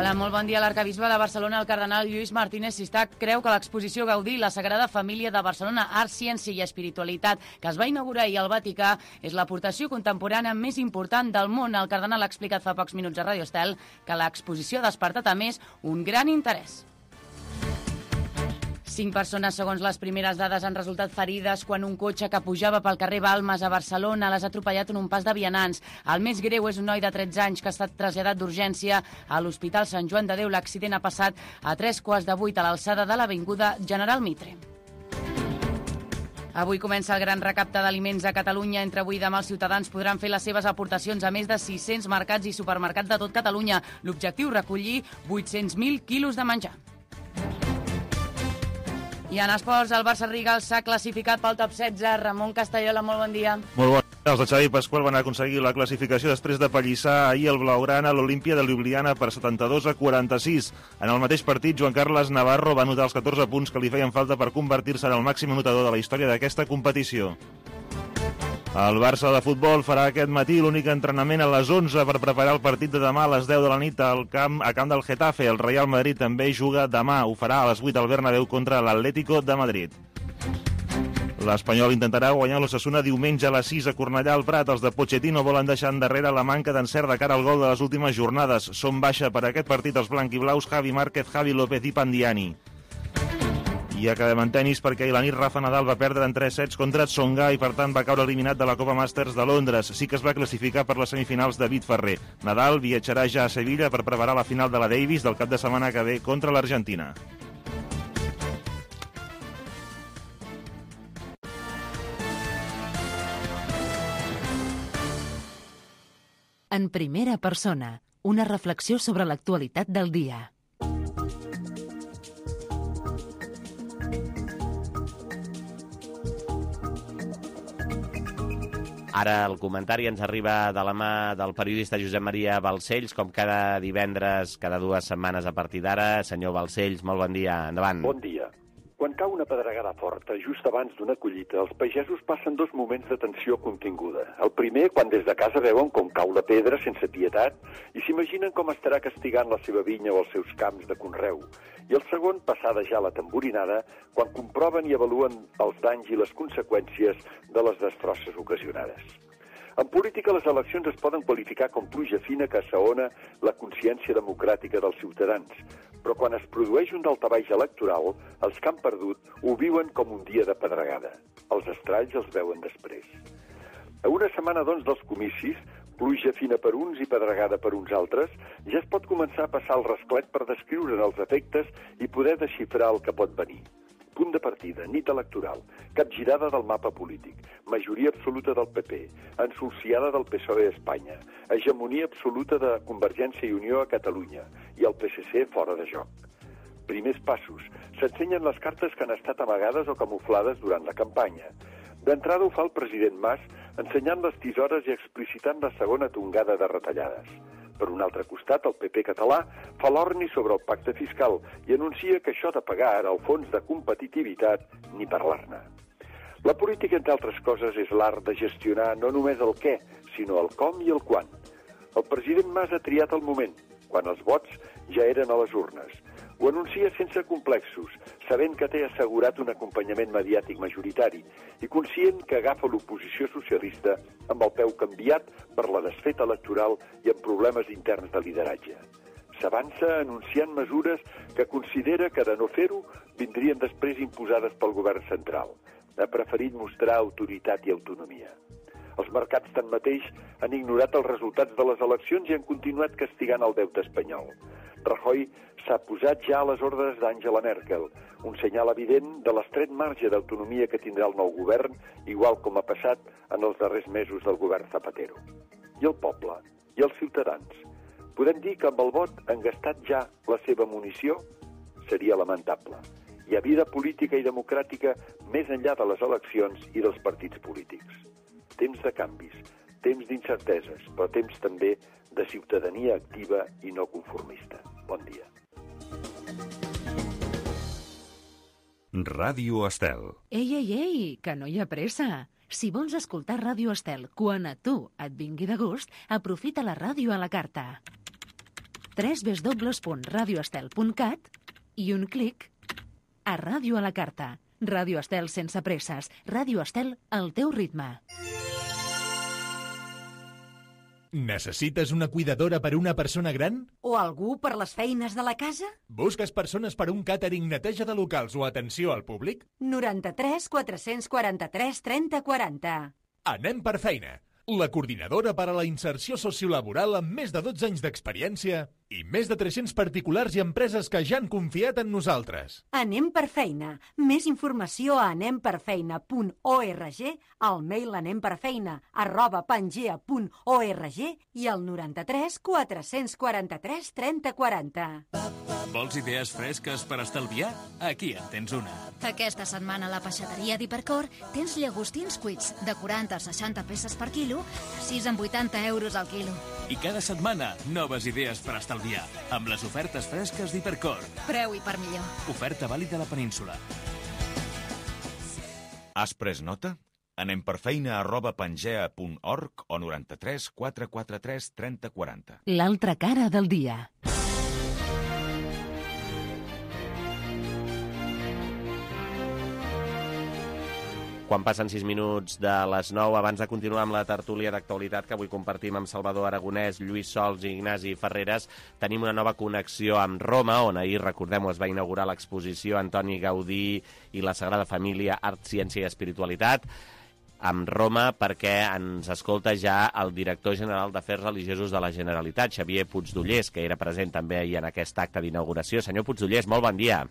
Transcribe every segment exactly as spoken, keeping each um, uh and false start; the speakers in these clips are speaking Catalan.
Hola, molt bon dia. L'arcabisbe de Barcelona, el cardenal Lluís Martínez Sistach, creu que l'exposició Gaudí, la Sagrada Família de Barcelona, Art, Ciència i Espiritualitat, que es va inaugurar ahir al Vaticà, és l'aportació contemporània més important del món. El cardenal ha explicat fa pocs minuts a Radio Estel que l'exposició ha despertat, a més, un gran interès. Cinc persones, segons les primeres dades, han resultat ferides quan un cotxe que pujava pel carrer Balmes a Barcelona les ha atropellat en un pas de vianants. El més greu és un noi de tretze anys que ha estat traslladat d'urgència a l'Hospital Sant Joan de Déu. L'accident ha passat a tres quarts de vuit a l'alçada de l'Avinguda General Mitre. Avui comença el gran recapte d'aliments a Catalunya. Entre avui i demà els ciutadans podran fer les seves aportacions a més de sis-cents mercats i supermercats de tot Catalunya. L'objectiu, recollir vuit-cents mil quilos de menjar. I en esports, el Barça Rigal s'ha classificat pel top setze. Ramon Castellola, molt bon dia. Molt bon dia. Els de Xavi Pasqual van aconseguir la classificació després de pallissar ahir el Blaugrana a l'Olímpia de Ljubljana per setanta-dos a quaranta-sis. En el mateix partit, Joan Carles Navarro va anotar els catorze punts que li feien falta per convertir-se en el màxim anotador de la història d'aquesta competició. El Barça de futbol farà aquest matí l'únic entrenament a les onze per preparar el partit de demà a les deu de la nit al camp, a camp del Getafe. El Real Madrid també juga demà. Ho farà a les vuit al Bernabéu contra l'Atlético de Madrid. L'Espanyol intentarà guanyar l'Osasuna diumenge a les sis a Cornellà al Prat. Els de Pochettino volen deixar endarrere la manca d'encert de cara al gol de les últimes jornades. Són baixa per aquest partit els blanquiblaus Javi Márquez, Javi López i Pandiani. I acabem en tenis perquè ahir la nit Rafa Nadal va perdre en tres sets contra Tsonga i per tant va caure eliminat de la Copa Masters de Londres. Sí que es va classificar per les semifinals David Ferrer. Nadal viatjarà ja a Sevilla per preparar la final de la Davis del cap de setmana que ve contra l'Argentina. En primera persona, una reflexió sobre l'actualitat del dia. Ara el comentari ens arriba de la mà del periodista Josep Maria Balcells, com cada divendres, cada dues setmanes a partir d'ara. Senyor Balcells, molt bon dia. Endavant. Bon dia. Quan cau una pedregada forta, just abans d'una collita, els pagesos passen dos moments de tensió continguda. El primer, quan des de casa veuen com cau la pedra sense pietat i s'imaginen com estarà castigant la seva vinya o els seus camps de conreu. I el segon, passada ja la tamborinada, quan comproven i avaluen els danys i les conseqüències de les destrosses ocasionades. En política, les eleccions es poden qualificar com pluja fina que assaona la consciència democràtica dels ciutadans, però quan es produeix un daltabaix electoral, els que han perdut ho viuen com un dia de pedregada. Els estralls els veuen després. A una setmana, doncs, dels comicis, pluja fina per uns i pedregada per uns altres, ja es pot començar a passar el rasclet per descriure'n els efectes i poder desxifrar el que pot venir. Punt de partida, nit electoral, capgirada del mapa polític, majoria absoluta del P P, ensolciada del P S O E a Espanya, hegemonia absoluta de Convergència i Unió a Catalunya i el P S C fora de joc. Primers passos. S'ensenyen les cartes que han estat amagades o camuflades durant la campanya. D'entrada ho fa el president Mas, ensenyant les tisores i explicitant la segona tongada de retallades. Per un altre costat, el P P català fa l'orni sobre el pacte fiscal i anuncia que això de pagar ara el fons de competitivitat ni parlar-ne. La política, entre altres coses, és l'art de gestionar no només el què, sinó el com i el quan. El president Mas ha triat el moment, quan els vots ja eren a les urnes. Ho anuncia sense complexos, sabent que té assegurat un acompanyament mediàtic majoritari i conscient que agafa l'oposició socialista amb el peu canviat per la desfeta electoral i amb problemes interns de lideratge. S'avança anunciant mesures que considera que de no fer-ho vindrien després imposades pel govern central. Ha preferit mostrar autoritat i autonomia. Els mercats, tanmateix, han ignorat els resultats de les eleccions i han continuat castigant el deute espanyol. Rajoy s'ha posat ja a les ordres d'Angela Merkel, un senyal evident de l'estret marge d'autonomia que tindrà el nou govern, igual com ha passat en els darrers mesos del govern Zapatero. I el poble, i els ciutadans. Podem dir que amb el vot han gastat ja la seva munició? Seria lamentable. Hi ha vida política i democràtica més enllà de les eleccions i dels partits polítics. Temps de canvis, temps d'incerteses, però temps també de ciutadania activa i no conformista. Bon dia. Ràdio Estel. Ei, ei, ei, que no hi ha pressa. Si vols escoltar Ràdio Estel quan a tu et vingui de gust, aprofita la ràdio a la carta. w w w punt radio estel punt cat i un clic a Ràdio a la Carta. Ràdio Estel sense presses. Ràdio Estel al teu ritme. Necessites una cuidadora per a una persona gran? O algú per les feines de la casa? Busques persones per a un càtering, neteja de locals o atenció al públic? noranta-tres quatre-cents quaranta-tres trenta quaranta. Anem per feina. La coordinadora per a la inserció sociolaboral amb més de dotze anys d'experiència i més de tres-cents particulars i empreses que ja han confiat en nosaltres. Anem per feina. Més informació a anem per feina punt org, al mail anemperfeina arroba pangea punt org i al noranta-tres quatre-cents quaranta-tres trenta quaranta. Vols idees fresques per estalviar? Aquí en tens una. Aquesta setmana a la peixateria d'Hipercor tens llagostins cuits de quaranta a seixanta peces per quilo a sis coma vuitanta euros al quilo. I cada setmana, noves idees per estalviar, amb les ofertes fresques d'Hipercor. Preu i per millor. Oferta vàlida a la península. Has pres nota? Anem per feina arroba pangea punt org o noranta-tres quatre quaranta-tres trenta quaranta. L'altra cara del dia. Quan passen sis minuts de les nou, abans de continuar amb la tertúlia d'actualitat que avui compartim amb Salvador Aragonès, Lluís Sols i Ignasi Ferreres, tenim una nova connexió amb Roma, on ahir, recordem-ho, es va inaugurar l'exposició Antoni Gaudí i la Sagrada Família, Art, Ciència i Espiritualitat, amb Roma, perquè ens escolta ja el director general d'Afers Religiosos de la Generalitat, Xavier Puigdollers, que era present també ahir en aquest acte d'inauguració. Senyor Puigdollers, molt bon dia.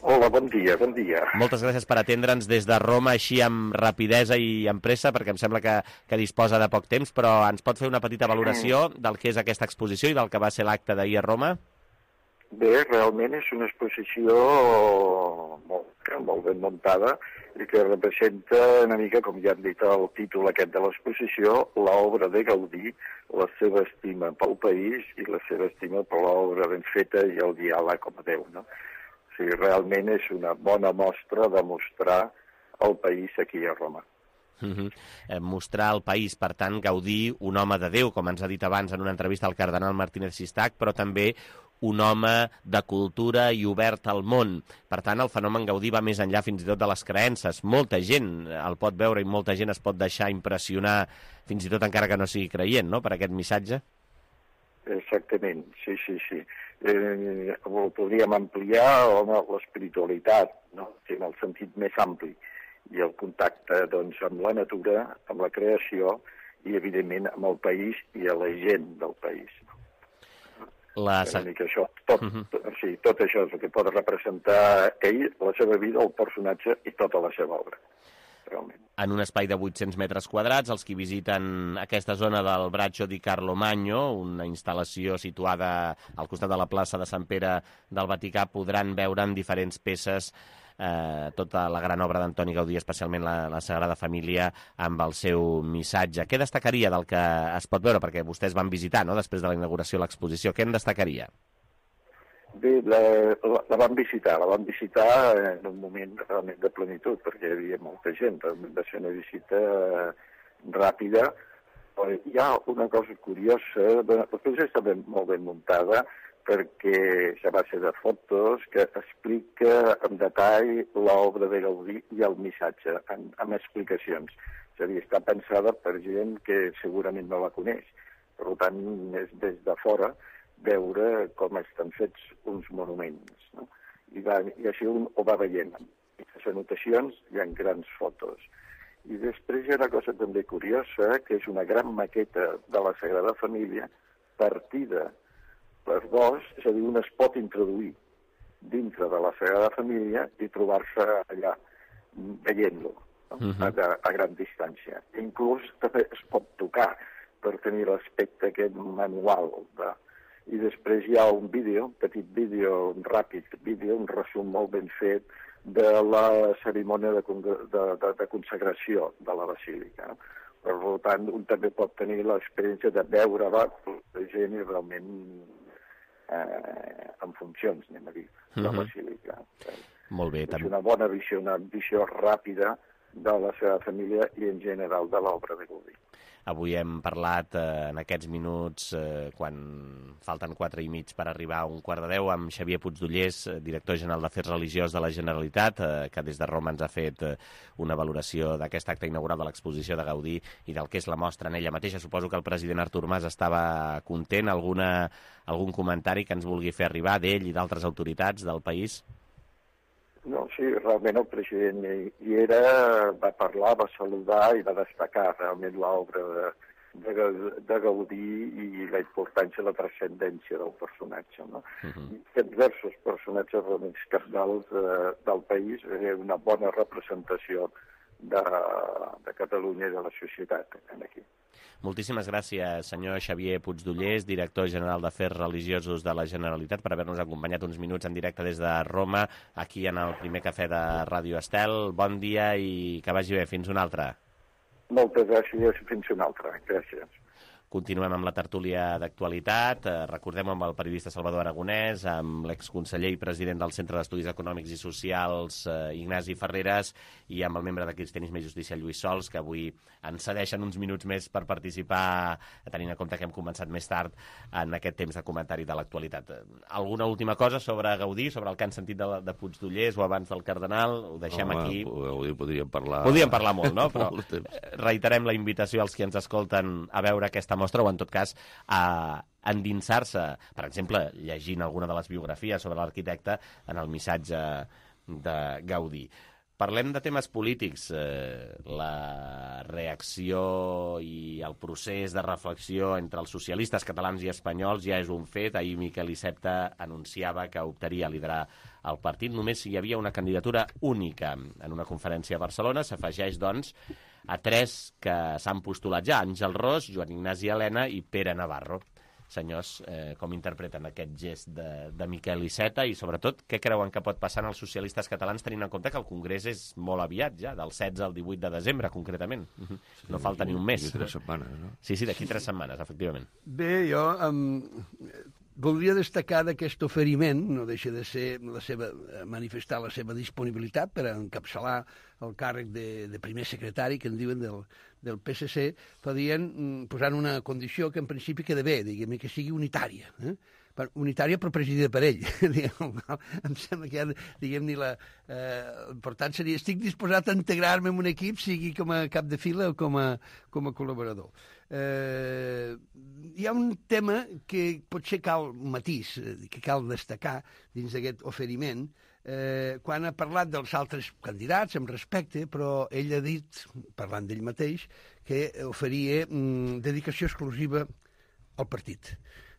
Hola, bon dia, bon dia. Moltes gràcies per atendre'ns des de Roma, així amb rapidesa i amb pressa, perquè em sembla que, que disposa de poc temps, però ens pot fer una petita valoració del que és aquesta exposició i del que va ser l'acte d'ahir a Roma? Bé, realment és una exposició molt, molt ben muntada i que representa una mica, com ja hem dit el títol aquest de l'exposició, l'obra de Gaudí, la seva estima pel país i la seva estima per l'obra ben feta i el diàleg com a Déu, no? O sigui, realment és una bona mostra de mostrar el país aquí a Roma. Uh-huh. eh, mostrar el país, per tant, Gaudí, un home de Déu, com ens ha dit abans en una entrevista al cardenal Martínez Sistac, però també un home de cultura i obert al món. Per tant, el fenomen Gaudí va més enllà fins i tot de les creences. Molta gent el pot veure i molta gent es pot deixar impressionar, fins i tot encara que no sigui creient, no?, per aquest missatge. Exactament, sí, sí, sí. Eh, podríem ampliar home, l'espiritualitat, no?, en el sentit més ampli, i el contacte doncs, amb la natura, amb la creació i, evidentment, amb el país i a la gent del país. La... Una mica això, tot, uh-huh. tot, sí, tot això és el que pot representar ell, la seva vida, el personatge i tota la seva obra. Realment. En un espai de vuit-cents metres quadrats, els que visiten aquesta zona del Braccio di Carlomagno, una instal·lació situada al costat de la plaça de Sant Pere del Vaticà, podran veure en diferents peces eh, tota la gran obra d'Antoni Gaudí, especialment la, la Sagrada Família, amb el seu missatge. Què destacaria del que es pot veure? Perquè vostès van visitar, no?, després de la inauguració de l'exposició. Què en destacaria? Bé, la, la, la vam visitar, la vam visitar en un moment realment de plenitud, perquè hi havia molta gent, va ser una visita ràpida. Hi ha una cosa curiosa, l'exposició està ben, molt ben muntada, perquè és a base de fotos que explica en detall l'obra de Gaudí i el missatge, amb, amb explicacions. És a dir, està pensada per gent que segurament no la coneix. Per tant, és des de fora veure com estan fets uns monuments, no? I, va, i així un ho va veient. En les anotacions hi ha grans fotos. I després hi ha una cosa també curiosa, que és una gran maqueta de la Sagrada Família partida per dos, és a dir, un es pot introduir dintre de la Sagrada Família i trobar-se allà veient-lo, no? uh-huh. a, a gran distància. Inclús també es pot tocar per tenir l'aspecte aquest manual de... I després hi ha un vídeo, un petit vídeo, un ràpid vídeo, un resum molt ben fet de la cerimònia de, de, de, de consagració de la basílica. Per tant, un també pot tenir l'experiència de veure-la la gent i realment eh, en funcions, anem a dir, de la basílica. Molt bé. És una bona visió, una visió ràpida de la seva família i en general de l'obra de Gaudí. Avui hem parlat eh, en aquests minuts, eh, quan falten quatre i mig per arribar a un quart de deu, amb Xavier Puigdollers, director general d'Afers Religiós de la Generalitat, eh, que des de Roma ens ha fet eh, una valoració d'aquest acte inaugural de l'exposició de Gaudí i del que és la mostra en ella mateixa. Suposo que el president Artur Mas estava content. Alguna, algun comentari que ens vulgui fer arribar d'ell i d'altres autoritats del país? No, sí, realment el president hi era, va parlar, va saludar i va destacar realment l'obra de, de, de Gaudí i la importància, la transcendència del personatge. No? Uh-huh. I diversos personatges realment cabdals eh, del país, eh, una bona representació de, de Catalunya i de la societat aquí. Moltíssimes gràcies, senyor Xavier Puigdollers, director general d'Afers Religiosos de la Generalitat, per haver-nos acompanyat uns minuts en directe des de Roma, aquí en el primer cafè de Ràdio Estel. Bon dia i que vagi bé. Fins una altra. Moltes gràcies i fins una altra. Gràcies. Continuem amb la tertúlia d'actualitat. Eh, recordem amb el periodista Salvador Aragonès, amb l'exconseller i president del Centre d'Estudis Econòmics i Socials, eh, Ignasi Ferreres, i amb el membre de Cristianisme i Justícia, Lluís Sols, que avui ens cedeixen uns minuts més per participar, tenint en compte que hem començat més tard en aquest temps de comentari de l'actualitat. Alguna última cosa sobre Gaudí, sobre el que han sentit de, de Puigdollers o abans del Cardenal? Ho deixem Home, aquí. Gaudí podríem parlar... Podríem parlar molt, no? Però reiterem la invitació als que ens escolten a veure aquesta mostra, o en tot cas a endinsar-se, per exemple, llegint alguna de les biografies sobre l'arquitecte en el missatge de Gaudí. Parlem de temes polítics. Eh, la reacció i el procés de reflexió entre els socialistes catalans i espanyols ja és un fet. Ahir Miquel Iceta anunciava que optaria a liderar el partit només si hi havia una candidatura única. En una conferència a Barcelona s'afegeix, doncs, a tres que s'han postulat ja: Àngel Ros, Joan Ignasi Elena i Pere Navarro. Senyors, eh, com interpreten aquest gest de, de Miquel Iceta i, sobretot, què creuen que pot passar als socialistes catalans, tenint en compte que el Congrés és molt aviat ja, del setze al divuit de desembre, concretament? Sí, no falta ni un mes. D'aquí tres setmanes, no? Sí, sí, d'aquí tres setmanes, efectivament. Bé, jo um, voldria destacar d'aquest oferiment, no deixa de ser la seva, manifestar la seva disponibilitat per encapçalar el càrrec de, de primer secretari, que en diuen del, del P S C, podien posar una condició que en principi queda bé, diguem-ne, que sigui unitària, eh? unitària però presidida per ell. Em sembla que, diguem-ne, la, eh, per tant, seria, estic disposat a integrar-me en un equip, sigui com a cap de fila o com a, com a col·laborador. Eh, hi ha un tema que potser cal un matís, que cal destacar dins d'aquest oferiment, eh, quan ha parlat dels altres candidats amb respecte, però ell ha dit, parlant d'ell mateix, que oferia mm, dedicació exclusiva al partit.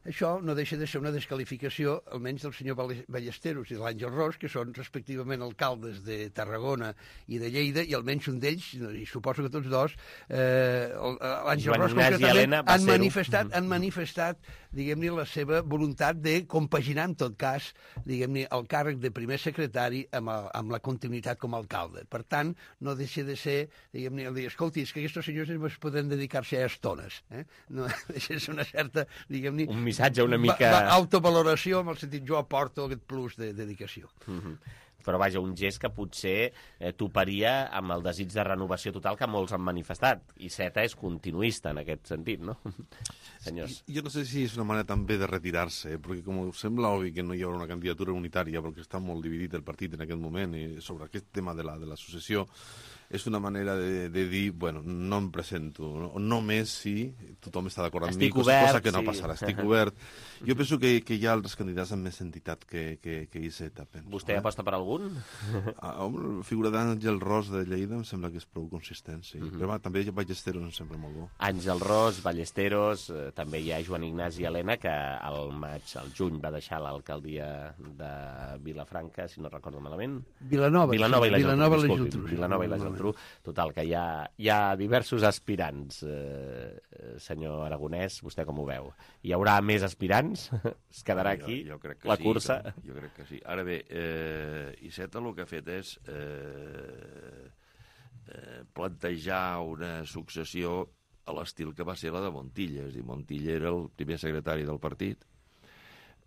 Això no deixa de ser una desqualificació, almenys del senyor Ballesteros i de l'Àngel Ros, que són respectivament alcaldes de Tarragona i de Lleida, i almenys un d'ells, i suposo que tots dos, eh, l'Àngel Ros concretament, han manifestat, han manifestat, diguem-ne, la seva voluntat de compaginar, en tot cas, diguem-ne, el càrrec de primer secretari amb, el, amb la continuïtat com a alcalde. Per tant, no deixa de ser, diguem-ne, el dir, escolti, és que aquests senyors es poden dedicar-se a estones. Eh? No deixa de ser una certa, diguem-ne, missatge una mica... Va, va, autovaloració, en el sentit, jo aporto aquest plus de dedicació. Mm-hmm. Però, vaja, un gest que potser eh, toparia amb el desig de renovació total que molts han manifestat. I Iceta és continuista en aquest sentit, no? Senyors. Jo no sé si és una manera també de retirar-se, perquè com sembla obvi que no hi haurà una candidatura unitària, perquè està molt dividit el partit en aquest moment, i sobre aquest tema de la, de la successió, és una manera de, de dir, bueno, no em presento, no, només si tothom està d'acord amb mi, cosa, cosa que no sí. passarà, estic obert. Jo penso que, que hi ha altres candidats amb més entitat que, que, que Iceta, penso. Vostè eh? aposta per algun? Ah, la figura d'Àngel Ros de Lleida em sembla que és prou consistent, sí. Mm-hmm. Però va, també Ballesteros em sembla molt bo. Àngel Ros, Ballesteros, eh, també hi ha Joan Ignasi Elena, que al maig, al juny, va deixar l'alcaldia de Vilafranca, si no recordo malament. Vilanova. Vilanova i la Vilanova Geltrú. I la Geltrú. Vilanova i la Geltrú. Total, que hi ha, hi ha diversos aspirants, eh, senyor Aragonès, vostè com ho veu? Hi haurà més aspirants? Es quedarà aquí jo, jo crec que la sí, cursa? Jo, jo crec que sí. Ara bé, eh, Iceta el que ha fet és eh, eh, plantejar una successió a l'estil que va ser la de Montilla. És a dir, Montilla era el primer secretari del partit,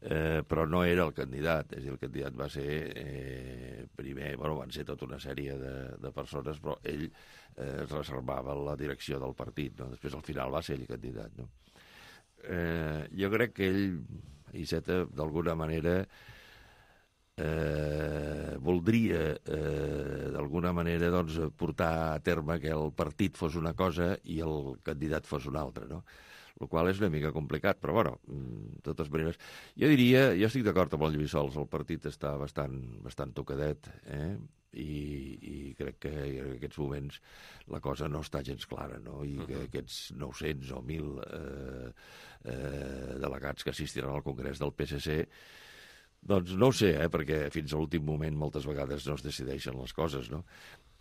eh, però no era el candidat, és a dir, el candidat va ser eh, primer, bueno, van ser tota una sèrie de, de persones, però ell eh, es reservava la direcció del partit, no? Després al final va ser ell candidat, no? Eh, jo crec que ell, Iceta, d'alguna manera eh, voldria eh, d'alguna manera doncs, portar a terme que el partit fos una cosa i el candidat fos una altra, no? El qual és una mica complicat, però bueno, de totes maneres, jo diria, jo estic d'acord amb el Lluís Sols, el partit està bastant, bastant tocadet, eh? I, i crec que en aquests moments la cosa no està gens clara, no? I que aquests nou-cents o mil eh, eh, delegats que assistiran al Congrés del P S C, doncs no ho sé, eh? Perquè fins a l'últim moment moltes vegades no es decideixen les coses, no?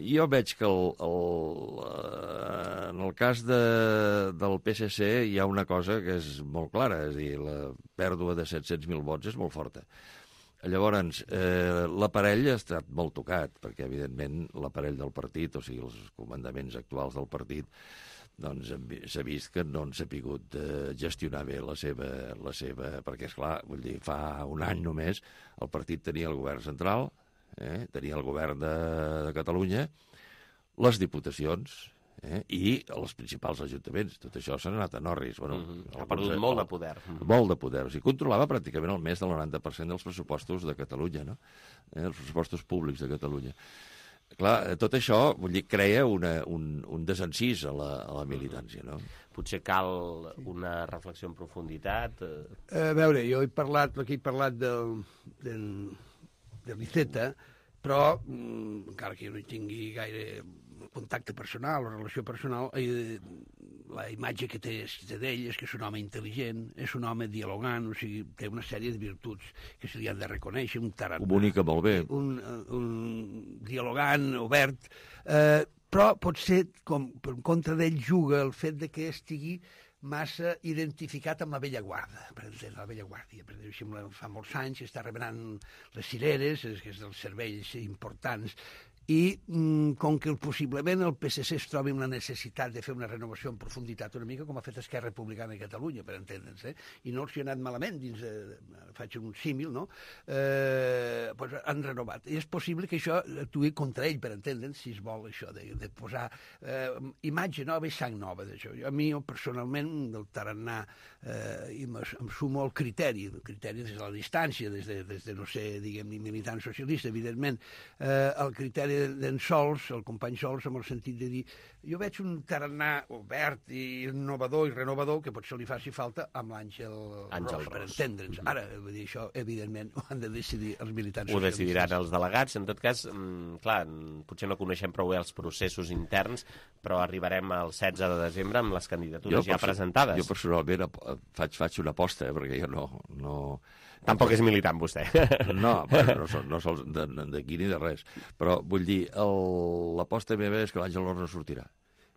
Jo veig que el, el, en el cas de, del P S C hi ha una cosa que és molt clara, és a dir, la pèrdua de set-cents mil vots és molt forta. Llavors, eh, l'aparell ha estat molt tocat, perquè, evidentment, l'aparell del partit, o sigui, els comandaments actuals del partit, doncs s'ha vist que no han sapigut eh, gestionar bé la seva, la seva... Perquè, esclar, vull dir, fa un any només el partit tenia el govern central, eh, tenia el govern de, de Catalunya, les diputacions, eh, i els principals ajuntaments. Tot això s'ha anat a Norris. Bueno, mm-hmm. Ha perdut molt de poder. Molt de poder. O sigui, controlava pràcticament el més del noranta per cent dels pressupostos de Catalunya, no? Eh, els pressupostos públics de Catalunya. Clar, tot això, vull dir, crea una, un, un desencís a la, a la militància, no? Potser cal una reflexió en profunditat. A veure, jo he parlat, aquí he parlat del, del, de l'Iceta, però, mm, encara que jo no hi tingui gaire contacte personal o relació personal, eh, la imatge que té, té d'ell és que és un home intel·ligent, és un home dialogant, o sigui, té una sèrie de virtuts que se li han de reconèixer, un tarannà. Comunica molt bé. Un, un dialogant, obert, eh, però potser, com per contra d'ell juga el fet de que estigui massa identificat amb la vella guarda, per exemple, la vella guàrdia. Per exemple, fa molts anys que està remenant les cireres, que és dels serveis importants, i mm, com que possiblement el P S C es trobi amb la necessitat de fer una renovació en profunditat una mica com ha fet Esquerra Republicana de Catalunya, per entendre'ns, eh? I no els hi ha anat malament dins de, faig un símil, no? Eh, pues han renovat. I és possible que això actuï contra ell, per entendre'ns, si es vol això, de, de posar eh, imatge nova i sang nova d'això. A mi, personalment, del tarannà, eh, em, em sumo al criteri, el criteri des de la distància, des de, des de no ser, diguem, ni militant socialista, evidentment, eh, el criteri d'en Sols, el company Sols, amb el sentit de dir jo veig un tarannà obert i innovador i renovador que potser li faci falta amb l'Àngel Ros, per entendre'ns. Ara, vull dir, això, evidentment, ho han de decidir els militants socialistes. Ho decidiran els delegats. En tot cas, clar, potser no coneixem prou bé els processos interns, però arribarem al setze de desembre amb les candidatures jo, ja presentades. Jo personalment faig, faig una aposta, eh, perquè jo no... no... Tampoc és militant, vostè. No, bueno, no, sol, no sols d'aquí ni de res. Però vull dir, l'aposta meva és que l'Àngel Ros no sortirà.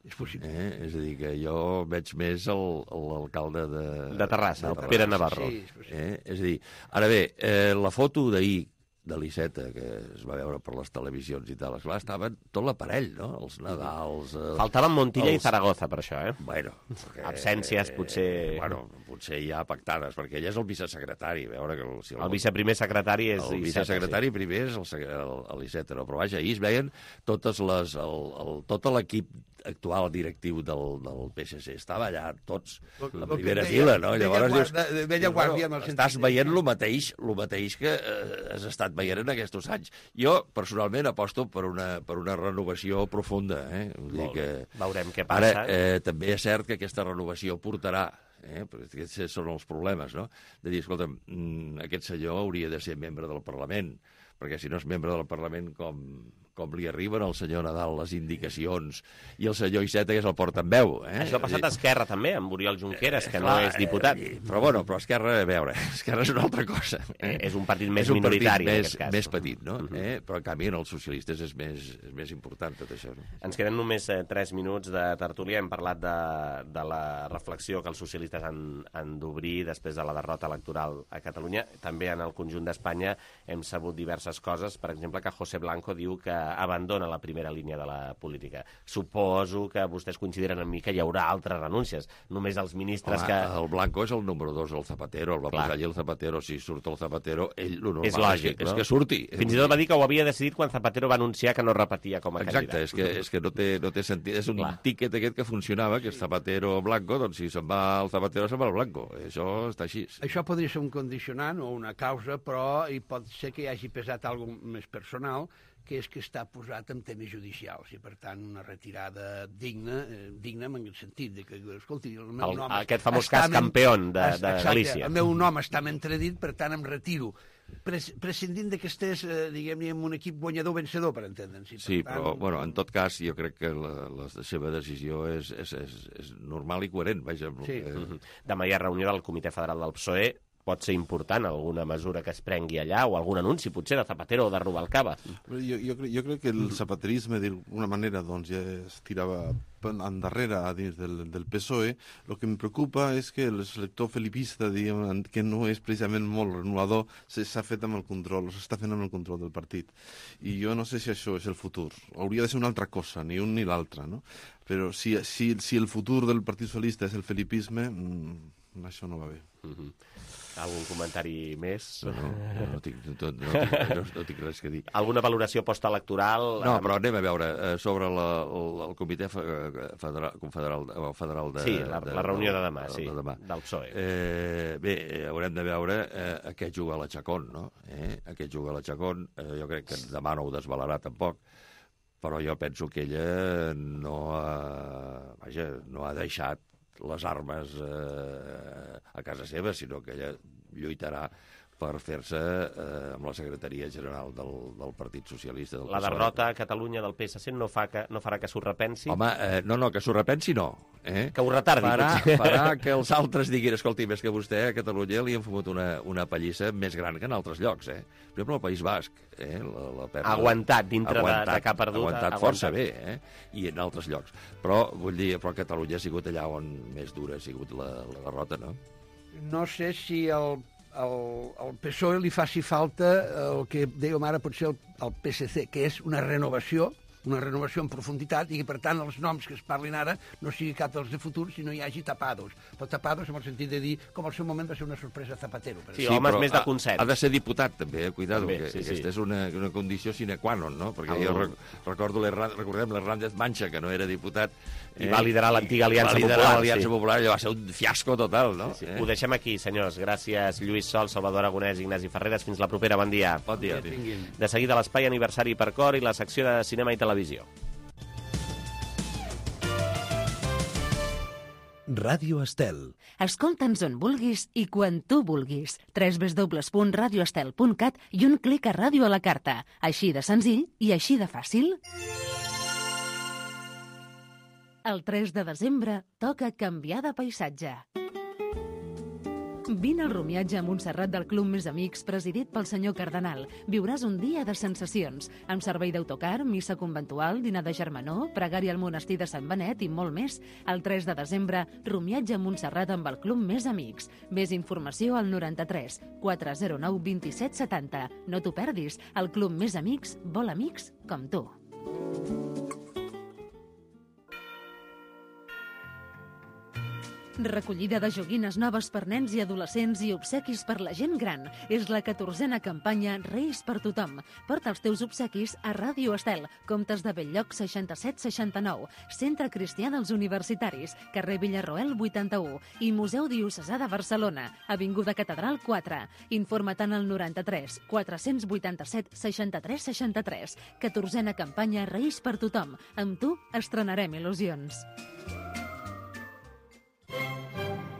És possible. Eh? És a dir, que jo veig més l'alcalde de... De Terrassa, el Pere Navarro. Sí, és, eh? És a dir, ara bé, eh, la foto d'ahir de l'Iceta, que es va veure per les televisions i tal, esclar, estaven tot l'aparell, no? Els Nadals... Eh, Faltaven Montilla els... i Zaragoza, per això, eh? Bueno, perquè, absències, potser... Eh, bueno, potser ja pactades, perquè ell és el vicesecretari, veure que... El, si el, el viceprimer secretari és el vicesecretari sí. Primer és l'Iceta, no? Però vaja, ahir es veien totes les, el, el, tot l'equip actual directiu del, del P S C. Estava allà tots, la primera fila, no? Llavors dius... De vella guàrdia, amb el sentit... Estàs veient el mateix, el mateix que eh, has estat veient en aquests anys. Jo, personalment, aposto per una, per una renovació profunda. Eh? Vull dir que... Veurem què passa. Ara, eh, també és cert que aquesta renovació portarà, eh? perquè aquests són els problemes, no? De dir, escolta, aquest senyor hauria de ser membre del Parlament, perquè si no és membre del Parlament, com, com li arriben al senyor Nadal les indicacions i el senyor Iceta, que és el portaveu. Eh? Això ha passat a Esquerra, també, amb Oriol Junqueras, que eh, no és diputat. Eh, però, bueno, però Esquerra, a veure, Esquerra és una altra cosa. Eh? És un partit més és un minoritari, partit en més, aquest cas. més petit, no? Uh -huh. eh? Però, en canvi, en els socialistes és més, és més important tot això. No? Ens queden només eh, tres minuts de tertúlia. Hem parlat de, de la reflexió que els socialistes han, han d'obrir després de la derrota electoral a Catalunya. També en el conjunt d'Espanya hem sabut diverses coses. Per exemple, que José Blanco diu que abandona la primera línia de la política. Suposo que vostès coincidiran amb mi que hi haurà altres renúncies. Només els ministres Home, que... El Blanco és el número dos, el Zapatero, el va Clar. posar allí el Zapatero. Si surt el Zapatero, ell lo normal És lògic, és que, no? és que surti. Fins i tot va dir que ho havia decidit quan Zapatero va anunciar que no repetia com a Exacte, candidat. és que, és que no, té, no té sentit. És un Clar. tíquet aquest que funcionava, que és Zapatero o Blanco, doncs si se'n va el Zapatero, se'n va el Blanco. Això està així. Això podria ser un condicionant o una causa, però hi pot ser que hi hagi pesat alguna més personal, que és que està posat en temes judicials, i per tant una retirada digna, eh, digna en el sentit de que, escolti, el meu El- nom... aquest famós està cas men- Campeón de- de Exacte, Galícia. El meu nom està entredit, per tant em retiro. Pres prescindint que estés, eh, diguem-ne, en un equip guanyador-vencedor, per entendre'ns. I per Sí, tant, però, bueno, en tot cas, jo crec que la, la seva decisió és, és, és, és normal i coherent, vaja. Sí. Eh, Mhm. Demà hi ha reunió del Comitè Federal del P S O E. Pot ser important alguna mesura que es prengui allà o algun anunci, potser, de Zapatero o de Rubalcaba. Jo, jo, cre- jo crec que el zapaterisme, d'alguna manera, doncs, ja es tirava endarrere a dins del, del P S O E. El que em preocupa és que el selector felipista, diguem, que no és precisament molt renovador, s'ha fet amb el control, s'està fent amb el control del partit. I jo no sé si això és el futur. Hauria de ser una altra cosa, ni un ni l'altre, no? Però si, si, si el futur del Partit Socialista és el felipisme, mmm, això no va bé. Mhm. Algun comentari més? No, no, no, tinc, no, no, tinc, no, no tinc res que dir. Alguna valoració postelectoral? No, però anem a veure, eh, sobre la, el, el Comitè Federal, Confederal, o Federal de... Sí, la, de, la reunió de demà, de, sí, de demà. del P S O E. Eh, bé, eh, haurem de veure eh, a què juga la Chacón, no? Eh? A què juga la Chacón, eh, jo crec que demà no ho desvelarà tampoc, però jo penso que ella no ha, vaja, no ha deixat les armes eh, a casa seva, sinó que ella lluitarà per fer-se eh, amb la secretaria general del, del Partit Socialista. Del La P S O E. derrota a Catalunya del P S C no, fa que, no farà que s'ho repensi? Home, eh, no, no, que s'ho repensi no. Eh? Que ho retardi, farà, potser. farà que els altres diguin, escolti, més que vostè a Catalunya li han fumut una, una pallissa més gran que en altres llocs. Eh? Per exemple, al País Basc. Eh? La, la pèrdua... Aguantat dintre aguantat, de, de que ha perdut. Aguantat, aguantat força bé, eh? I en altres llocs. Però, vull dir, però Catalunya ha sigut allà on més dura ha sigut la, la derrota, no? No sé si el, el, el P S O E li faci falta el que dèiem ara potser el, el P S C, que és una renovació, una renovació en profunditat, i que, per tant, els noms que es parlin ara no sigui cap dels de futur, sinó hi hagi tapados. Però tapados en el sentit de dir, com al seu moment va ser una sorpresa Zapatero. Per Sí, homes més de ha- consens. Ha de ser diputat, també, eh? Cuidado, També, que sí, sí. aquesta és una, una condició sine qua non, no? Perquè El- jo rec recordo, l'Herra- recordem l'Hernández Mancha, que no era diputat... I va liderar l'antiga Aliança va liderar Popular, l'Aliança sí. Popular, allò va ser un fiasco total, no? Sí, ho deixem aquí, senyors. Gràcies, Lluís Sol, Salvador Aragonès, Ignasi Ferreres. Fins la propera. Bon dia. Bon dia. De seguida, l'espai aniversari per cor i la secció de cinema i televisió. Ràdio Estel. Escolta'ns on vulguis i quan tu vulguis. w w w punt radio estel punt cat i un clic a Ràdio a la carta. Així de senzill i així de fàcil. El tres de desembre toca canviar de paisatge. Vine al rumiatge a Montserrat del Club Més Amics, presidit pel senyor Cardenal. Viuràs un dia de sensacions, amb servei d'autocar, missa conventual, dinar de germanor, pregària al monestir de Sant Benet i molt més. El tres de desembre, rumiatge a Montserrat amb el Club Més Amics. Més informació al noranta-tres quatre zero nou vint-i-set setanta. No t'ho perdis, el Club Més Amics vol amics com tu. Recollida de joguines noves per nens i adolescents i obsequis per la gent gran. És la catorzena campanya Reis per tothom. Porta els teus obsequis a Ràdio Estel, Comtes de Belllloc seixanta-set seixanta-nou, Centre Cristià dels Universitaris, carrer Villarroel vuitanta-u i Museu Diocesà de Barcelona, Avinguda Catedral quatre. Informa-te'n al noranta-tres quatre-cents vuitanta-set seixanta-tres seixanta-tres. catorzena campanya Reis per tothom. Amb tu estrenarem il·lusions.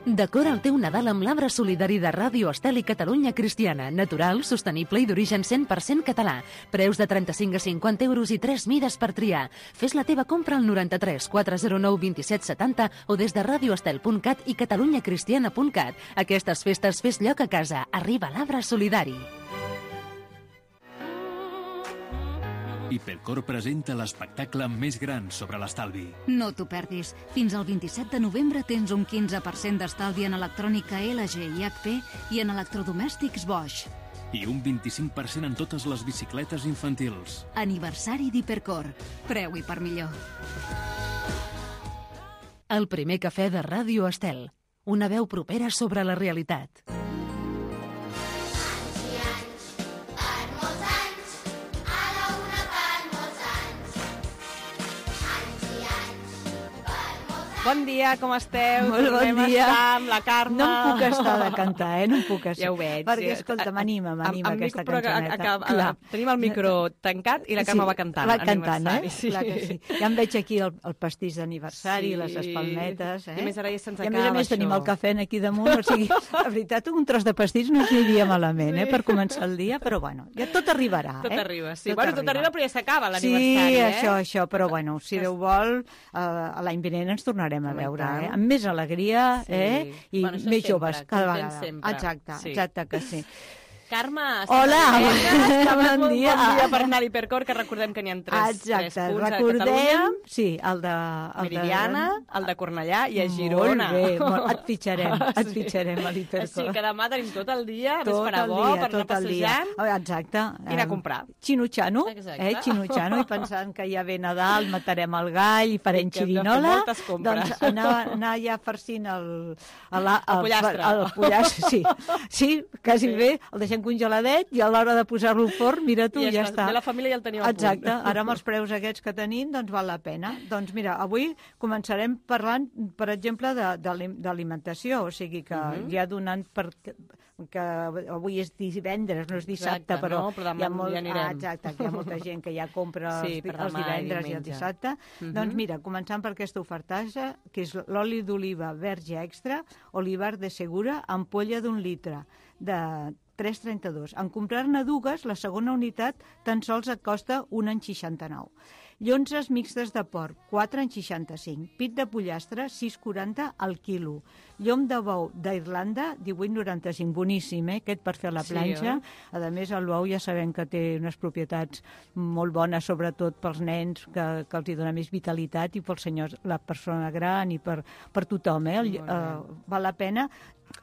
Decora el teu Nadal amb l'arbre solidari de Ràdio Estel i Catalunya Cristiana. Natural, sostenible i d'origen cent per cent català. Preus de trenta-cinc a cinquanta euros i tres mides per triar. Fes la teva compra al noranta-tres quatre zero nou vint-i-set setanta o des de radioestel punt cat i catalunyacristiana punt cat. Aquestes festes fes lloc a casa. Arriba l'arbre solidari. Hipercor presenta l'espectacle més gran sobre l'estalvi. No t'ho perdis. Fins al vint-i-set de novembre tens un quinze per cent d'estalvi en electrònica L G i H P i en electrodomèstics Bosch. i un vint-i-cinc per cent en totes les bicicletes infantils. Aniversari d'Hipercor. Preu i per millor. El primer cafè de Ràdio Estel. Una veu propera sobre la realitat. Bon dia, com esteu? Molt bon Tornem dia. a estar amb la Carme. No em puc estar de cantar, eh? No em puc estar. Ja ho veig. Perquè, escolta, m'anima, m'anima aquesta cançoneta. Clar. Tenim el micro tancat i la Carme va cantant. Va cantant, eh? Sí. Clar que sí. Ja em veig aquí el, el pastís d'aniversari, Sí. les espalmetes, eh? I a més ara ja se'ns I a més a acaba més tenim això. el cafè aquí damunt, o sigui, la veritat, un tros de pastís no s'aniria malament, eh? Per començar el dia, però bueno, ja tot arribarà, Tot eh? arriba, sí. Bueno, tot arriba, però ja s'acaba Sí, l'aniversari, eh? això, això, però bueno, si Déu vol, eh, l'any vinent ens tornarem a Home, i veure, tant. eh? Amb més alegria, Sí. eh? I Bueno, això més sempre, joves cada contents vegada. sempre. Exacte, Sí. exacte que sí. Carme, Hola, bon bon dia. Bon dia per anar a l'Hipercor, que recordem que n'hi ha tres, Exacte, tres punts recordem, a Catalunya. sí, el de... El Meridiana, el de Cornellà i a Girona. Molt bé, molt, et fitxarem, et Sí. fitxarem a l'Hipercor. Sí, que demà tenim tot el dia, a més Tot farà el bo, dia, per anar tot el dia. passejant. Exacte. I anar a comprar. Xinutxano, Exacte. eh, xinutxano, i pensant que ja ve Nadal, matarem el gall i farem I que hem de fer xirinola. moltes compres. Doncs anar, anar ja farcint el... El, el, El pollastre. El, el pollastre, sí. Sí, quasi Sí. bé, el deixem congeladet i a l'hora de posar-lo al forn, mira tu, I ja, ja està. està. Ve la família i el teniu a punt. Exacte, ara amb els preus aquests que tenim, doncs val la pena. Doncs mira, avui començarem parlant, per exemple, de- de- d'alimentació, o sigui que Mhm. ja donant per que avui és divendres, no és dissabte, Exacte, però no? Però demà hi ha, molt, ja anirem. ah, exacte, que hi ha molta gent que ja compra Sí, els, per els demà i divendres i el diumenge. dissabte. Mhm. Doncs mira, començant per aquesta ofertatge, que és l'oli d'oliva verge extra, olivar de segura, ampolla d'un litre, de tres coma trenta-dos. En comprar-ne dues, la segona unitat tan sols et costa un coma seixanta-nou. Llonzes mixtes de porc, quatre coma seixanta-cinc. Pit de pollastre, sis coma quaranta al quilo. Llom de bou d'Irlanda, divuit coma noranta-cinc. Boníssim, eh? Aquest per fer a la Sí, planxa. oi? A més, el bou ja sabem que té unes propietats molt bones, sobretot pels nens, que, que els hi dona més vitalitat, i pels senyors, la persona gran, i per, per tothom. Eh? El, Molt eh, val la pena.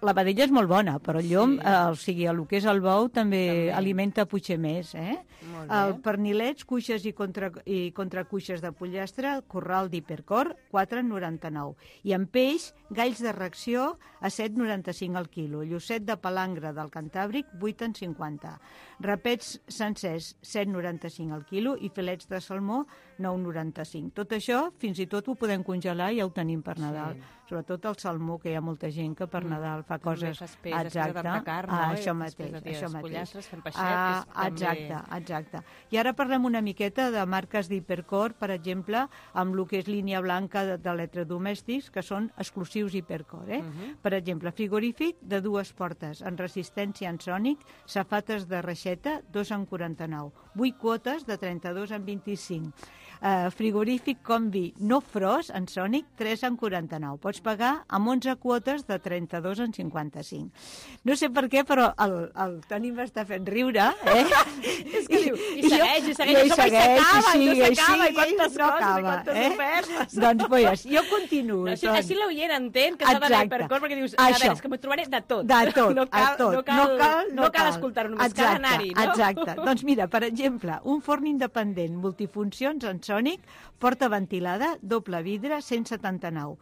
La vedella és molt bona, però el llom, sí. eh, o sigui, el que és el bou també, també. alimenta potser més. Eh? Molt bé. El pernilets, cuixes i, contra, i contracuixes de pollastre, corral d'Hipercor, quatre coma noranta-nou. I en peix, galls de reacció a set coma noranta-cinc al quilo. Llucet de palangre del Cantàbric, vuit coma cinquanta. Rapets sencers, set coma noranta-cinc al quilo, i filets de salmó, nou coma noranta-cinc. Tot això, fins i tot ho podem congelar i ja ho tenim per Nadal. Sí. Sobretot el salmó, que hi ha molta gent que per Nadal fa coses... Fas peix, després de tanta carn, ah, no? I això després mateix, de dies això mateix. pollastres, fem peixet, Ah, és també- exacte, exacte. I ara parlem una miqueta de marques d'Hipercor, per exemple, amb el que és línia blanca de- d'electrodomèstics, que són exclusius Hipercor. Eh? Mhm. Per exemple, frigorífic de dues portes, en resistència ensònic, safates de reixeta, dos coma quaranta-nou. vuit quotes de trenta-dos coma vint-i-cinc. Uh, frigorífic combi no frost en Sònic, tres coma quaranta-nou. Pots pagar amb onze quotes de trenta-dos coma cinquanta-cinc. No sé per què, però el, el Toni m'està fent riure, eh? És que diu, i jo- segueix, i segueix, jo i com segueix, s'acaba, i no sigue, s'acaba, i sigue, quantes no coses, i acaba, quantes eh? ofertes. Doncs, pues, jo continuo. Així, doncs. així l'oient entén que s'ha d'anar a Exacte. Hipercor, perquè dius, a Això. veure, és que m'ho trobaré de tot. De tot, no cal, a tot. No cal, no cal, no cal escoltar-ho, només exacte, cal anar-hi, no? Exacte. Doncs mira, per exemple, un forn independent multifuncions en Sònic, porta ventilada, doble vidre, cent setanta-nou.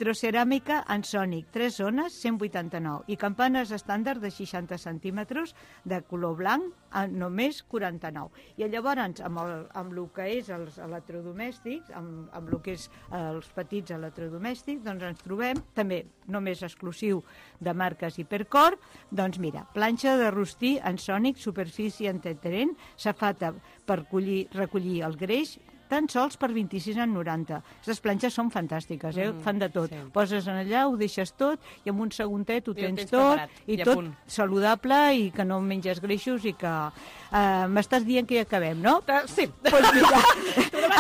Vitroceràmica en Sònic, tres zones, cent vuitanta-nou. I campanes estàndard de seixanta centímetres de color blanc, a només quaranta-nou. I llavors, amb el, amb el que és els electrodomèstics, amb, amb el que és els petits electrodomèstics, doncs ens trobem, també només exclusiu de marques Hipercor, doncs mira, planxa de rostir en Sònic, superfície antiadherent, safata per collir, recollir el greix, tan sols per vint-i-sis coma noranta. Aquestes planxes són fantàstiques, eh? Mm, Fan de tot. sí. Poses en allà, ho deixes tot, i en un segundet ho I ho tens tens tot, preparat, i i a tot punt. saludable, i que no menges greixos, i que... Uh, m'estàs dient que ja acabem, no? Sí. Doncs mira,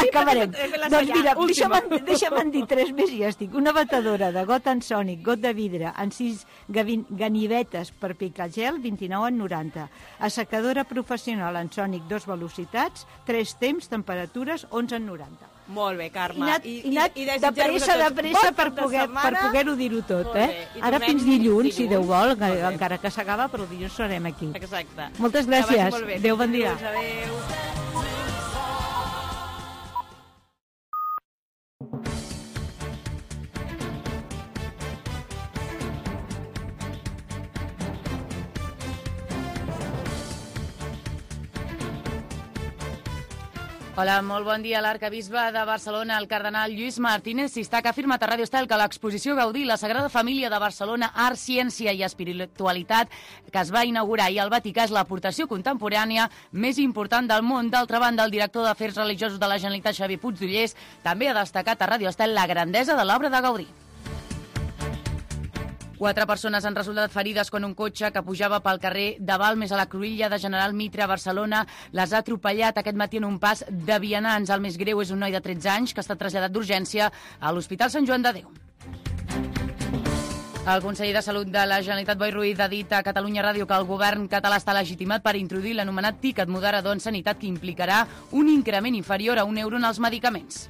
acabarem. He fet la Doncs senyal, mira, última. deixa'm, deixa'm dir tres més i ja estic. Una batedora de got en Sònic, got de vidre, en sis gavin- ganivetes per picar gel, vint-i-nou coma noranta. Assecadora professional en Sònic, dos velocitats, tres temps, temperatures, onze coma noranta. Molt bé, Carme. I anat, I, i anat i, i de pressa, de pressa per poder- per poder-ho dir-ho tot, Molt eh? bé. I Ara tornem fins dilluns, si Déu vol, Molt bé. encara que s'acaba, però dilluns serem aquí. Exacte. Moltes Que vagi gràcies. molt bé. Adéu, bon dia. Dilluns, adéu. Hola, molt bon dia. L'arcabisbe de Barcelona, el cardenal Lluís Martínez Sistac, ha afirmat a Ràdio Estel que l'exposició Gaudí, la Sagrada Família de Barcelona, Art, Ciència i Espiritualitat, que es va inaugurar ahir al Vaticà, és l'aportació contemporània més important del món. D'altra banda, el director d'Afers Religiosos de la Generalitat, Xavier Puigdollers, també ha destacat a Ràdio Estel la grandesa de l'obra de Gaudí. Quatre persones han resultat ferides quan un cotxe que pujava pel carrer de Balmes a la Cruïlla de General Mitre a Barcelona les ha atropellat aquest matí en un pas de vianants. El més greu és un noi de tretze anys que ha estat traslladat d'urgència a l'Hospital Sant Joan de Déu. El conseller de Salut de la Generalitat, Boi Ruiz, ha dit a Catalunya Ràdio que el govern català està legitimat per introduir l'anomenat tiquet moderador en sanitat que implicarà un increment inferior a un euro en els medicaments.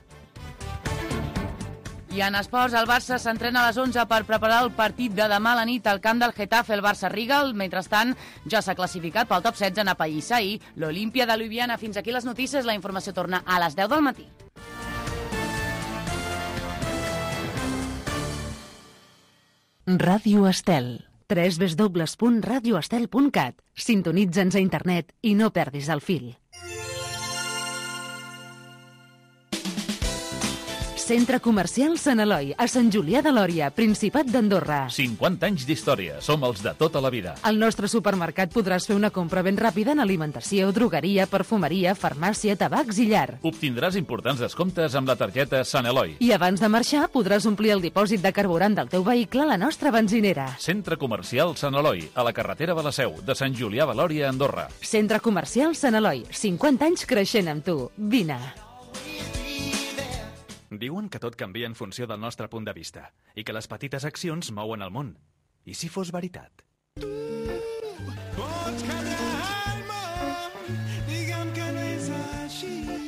I en esports, el Barça s'entrena a les onze per preparar el partit de demà a la nit al camp del Getafe, el Barça-Rigal. Mentrestant, ja s'ha classificat pel top setze en apallissar ahir l'Olímpia de Ljubljana. Fins aquí les notícies. La informació torna a les deu del matí. Ràdio Estel. w w w punt radio estel punt cat. Sintonitza'ns a internet i no perdis el fil. Centre Comercial Sant Eloi, a Sant Julià de Lòria, Principat d'Andorra. cinquanta anys d'història. Som els de tota la vida. Al nostre supermercat podràs fer una compra ben ràpida en alimentació, drogueria, perfumeria, farmàcia, tabacs i llar. Obtindràs importants descomptes amb la targeta Sant Eloi. I abans de marxar podràs omplir el dipòsit de carburant del teu vehicle a la nostra benzinera. Centre Comercial Sant Eloi, a la carretera de la Seu, de Sant Julià de Lòria, Andorra. Centre Comercial Sant Eloi, cinquanta anys creixent amb tu. Vine. Diuen que tot canvia en funció del nostre punt de vista i que les petites accions mouen el món. I si fos veritat?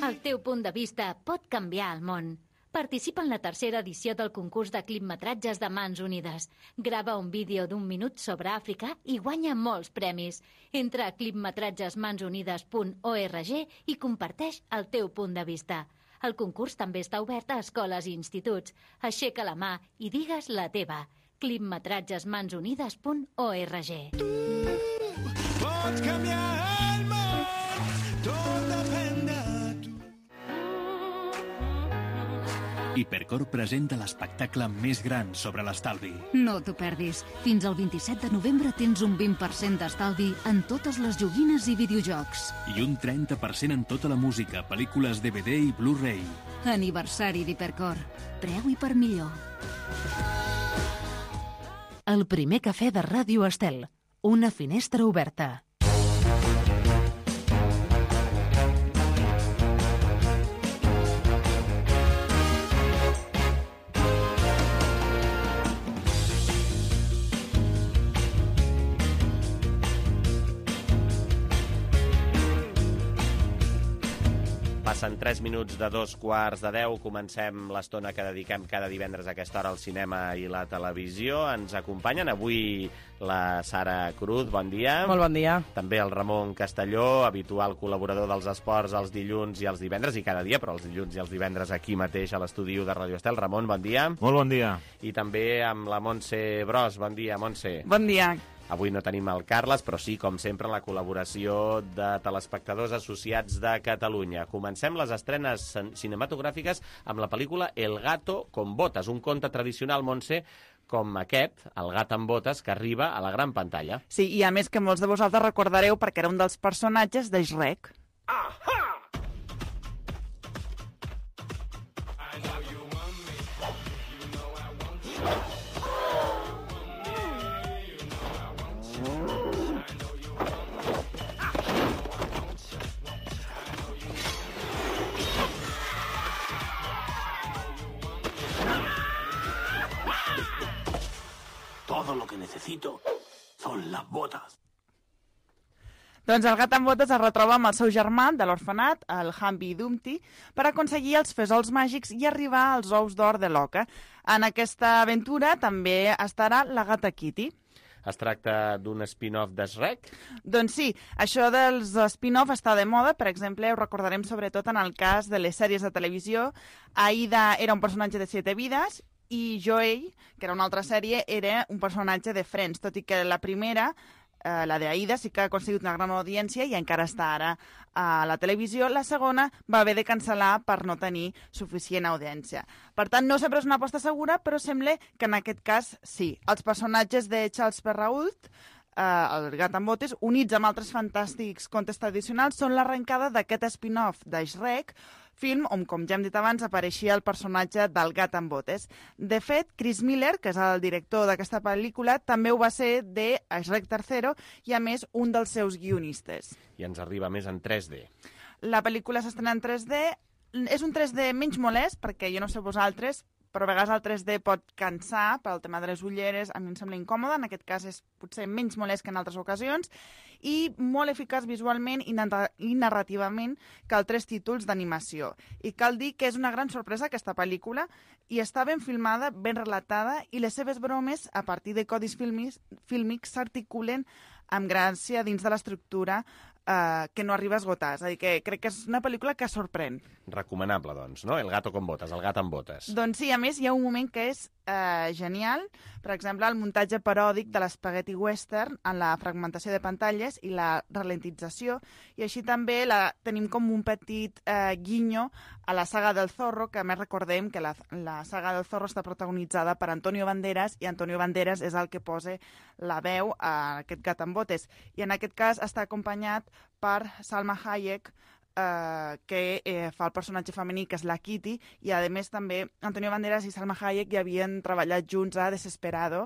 El teu punt de vista pot canviar el món. Participa en la tercera edició del concurs de clipmetratges de Mans Unides. Grava un vídeo d'un minut sobre Àfrica i guanya molts premis. Entra a clipmetratges mans unides punt org i comparteix el teu punt de vista. El concurs també està obert a escoles i instituts. Aixeca la mà i digues la teva. clipmetratges mans unides punt org. Pots canviar el món, tot depèn de tu. Hipercor presenta l'espectacle més gran sobre l'estalvi. No t'ho perdis. Fins al vint-i-set de novembre tens un vint per cent d'estalvi en totes les joguines i videojocs. I un trenta per cent en tota la música, pel·lícules D V D i Blu-ray. Aniversari d'Hipercor. Preu i per millor. El primer cafè de Ràdio Estel. Una finestra oberta. Passen tres minuts de dos quarts de deu. Comencem l'estona que dediquem cada divendres a aquesta hora al cinema i la televisió. Ens acompanyen avui la Sara Cruz, bon dia. Molt bon dia. També el Ramon Castelló, habitual col·laborador dels esports els dilluns i els divendres, i cada dia, però els dilluns i els divendres aquí mateix a l'estudi de Ràdio Estel. Ramon, bon dia. Molt bon dia. I també amb la Montse Bros. Bon dia, Montse. Bon dia. Avui no tenim el Carles, però sí, com sempre, la col·laboració de telespectadors associats de Catalunya. Comencem les estrenes cinematogràfiques amb la pel·lícula El gato con botas, un conte tradicional, Montse, com aquest, El gat amb botes, que arriba a la gran pantalla. Sí, i a més que molts de vosaltres recordareu perquè era un dels personatges de Shrek. Todo lo que necesito son las botas. Doncs el gat amb botes es retroba amb el seu germà de l'orfenat, el Humpty Dumpty, per aconseguir els fesols màgics i arribar als ous d'or de l'oca. En aquesta aventura també estarà la gata Kitty. Es tracta d'un spin-off de Shrek? Doncs sí, això dels spin-off està de moda. Per exemple, ho recordarem sobretot en el cas de les sèries de televisió. Aida era un personatge de Siete Vides i Joey, que era una altra sèrie, era un personatge de Friends, tot i que la primera, eh, la d'Aida, sí que ha aconseguit una gran audiència i encara està ara a la televisió. La segona va haver de cancel·lar per no tenir suficient audiència. Per tant, no sempre és una aposta segura, però sembla que en aquest cas sí. Els personatges de Charles Perrault, eh, el gat amb botes, units amb altres fantàstics contes tradicionals, són l'arrencada d'aquest spin-off de Shrek, film on, com ja hem dit abans, apareixia el personatge del gat amb botes. De fet, Chris Miller, que és el director d'aquesta pel·lícula, també ho va ser de Shrek tercero i, a més, un dels seus guionistes. I ens arriba més en tres D. La pel·lícula s'estrena en tres D. És un tres D menys molest, perquè jo no sé vosaltres, però a vegades el tres D pot cansar pel tema de les ulleres, a mi em sembla incòmode, en aquest cas és potser menys molest que en altres ocasions, i molt eficaç visualment i, narra i narrativament que altres títols d'animació. I cal dir que és una gran sorpresa aquesta pel·lícula, i està ben filmada, ben relatada, i les seves bromes, a partir de codis fílmics, fílmics s'articulen amb gràcia dins de l'estructura eh, que no arriba a esgotar. És a dir, que crec que és una pel·lícula que sorprèn. Recomanable, doncs, no? El gato con botes, el gat amb botes. Doncs sí, a més, hi ha un moment que és eh, genial. Per exemple, el muntatge paròdic de l'espaghetti western en la fragmentació de pantalles i la ralentització. I així també la, tenim com un petit eh, guinyo a la saga del Zorro, que a més recordem que la, la saga del Zorro està protagonitzada per Antonio Banderas, i Antonio Banderas és el que posa la veu a aquest gat amb botes. I en aquest cas està acompanyat per Salma Hayek, eh, que eh, fa el personatge femení, que és la Kitty, i a més també Antonio Banderas i Salma Hayek ja havien treballat junts a Desesperado.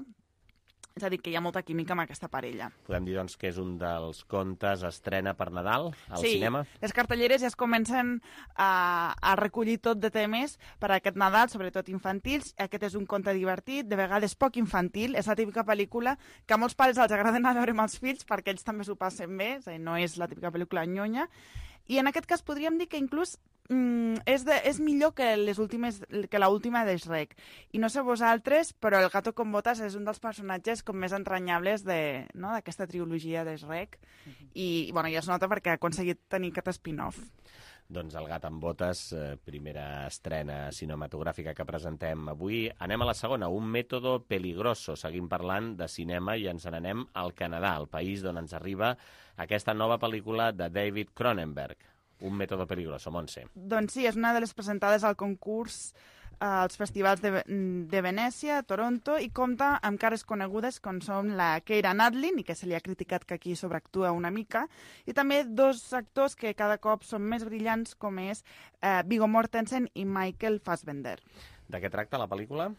És a dir, que hi ha molta química amb aquesta parella. Podem dir, doncs, que és un dels contes estrena per Nadal al sí, cinema? Sí, les cartelleres ja es comencen a, a recollir tot de temes per a aquest Nadal, sobretot infantils. Aquest és un conte divertit, de vegades poc infantil. És la típica pel·lícula que a molts pares els agrada anar a veure amb els fills perquè ells també s'ho passen bé, és a dir, no és la típica pel·lícula nyonya. I en aquest cas podríem dir que inclús mm, és, de, és millor que les últimes que l'última de Shrek. I no sé vosaltres, però el gato con botas és un dels personatges com més entranyables de, no, d'aquesta trilogia de Shrek. Uh-huh. I bueno, ja es nota perquè ha aconseguit tenir aquest spin-off. Doncs el gat amb botes, eh, primera estrena cinematogràfica que presentem avui. Anem a la segona, un mètode peligroso. Seguim parlant de cinema i ens n'anem al Canadà, el país d'on ens arriba aquesta nova pel·lícula de David Cronenberg. Un mètode peligroso, Montse. Doncs sí, és una de les presentades al concurs als festivals de, de Venècia, Toronto, i compta amb cares conegudes com són la Keira Knightley, i que se li ha criticat que aquí sobreactua una mica, i també dos actors que cada cop són més brillants, com és eh, Viggo Mortensen i Michael Fassbender. De què tracta la pel·lícula?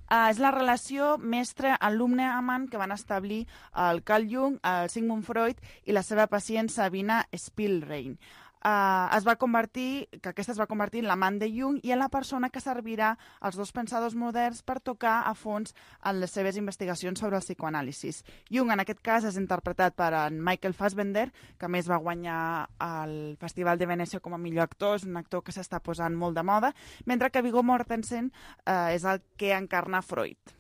Uh, és la relació mestre-alumne-amant que van establir el Carl Jung, el Sigmund Freud i la seva pacient Sabina Spielrein. Uh, es va convertir, que aquesta es va convertir en l'amant de Jung i en la persona que servirà als dos pensadors moderns per tocar a fons en les seves investigacions sobre el psicoanàlisis. Jung, en aquest cas, és interpretat per en Michael Fassbender, que a més va guanyar el Festival de Venècia com a millor actor, és un actor que s'està posant molt de moda, mentre que Viggo Mortensen uh, és el que encarna Freud.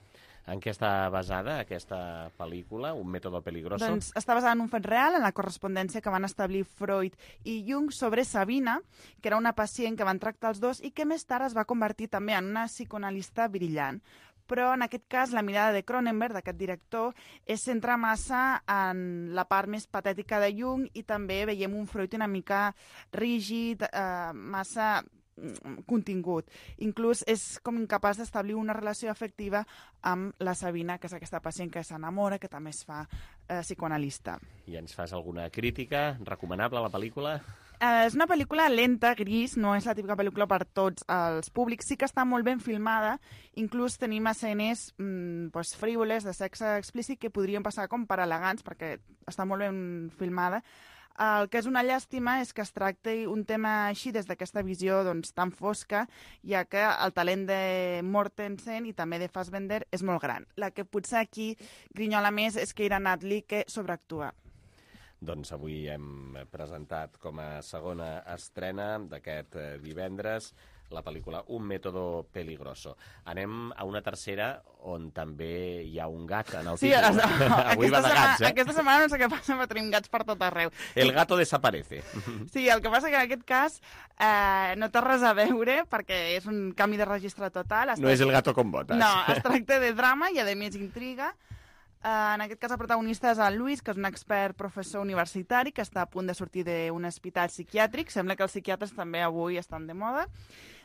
En què està basada aquesta pel·lícula, Un mètode peligroso? Doncs està basada en un fet real, en la correspondència que van establir Freud i Jung sobre Sabina, que era una pacient que van tractar els dos i que més tard es va convertir també en una psicoanalista brillant. Però en aquest cas la mirada de Cronenberg, d'aquest director, es centra massa en la part més patètica de Jung i també veiem un Freud una mica rígid, eh, massa contingut. Inclús és com incapaç d'establir una relació afectiva amb la Sabina, que és aquesta pacient que s'enamora, que també es fa eh, psicoanalista. I ens fas alguna crítica? Recomanable la pel·lícula? Eh, és una pel·lícula lenta, gris, no és la típica pel·lícula per tots els públics, sí que està molt ben filmada, inclús tenim escenes mm, pues, frívoles, de sexe explícit, que podrien passar com per elegants, perquè està molt ben filmada. El que és una llàstima és que es tracti un tema així des d'aquesta visió doncs, tan fosca, ja que el talent de Mortensen i també de Fassbender és molt gran. La que potser aquí grinyola més és Keira Knightley, que sobreactua. doncs avui hem presentat com a segona estrena d'aquest eh, divendres la pel·lícula Un método peligroso. Anem a una tercera on també hi ha un gat en el Sí, títol. no, Avui va de gats, eh? Aquesta setmana no sé què passa, però tenim gats per tot arreu. El gato desaparece. Sí, el que passa que en aquest cas eh, no té res a veure perquè és un canvi de registre total. Es No és el gato con botas. No, es tracta de drama i, a més, intriga. Uh, en aquest cas, el protagonista és el Luis, que és un expert professor universitari que està a punt de sortir d'un hospital psiquiàtric. Sembla que els psiquiatres també avui estan de moda.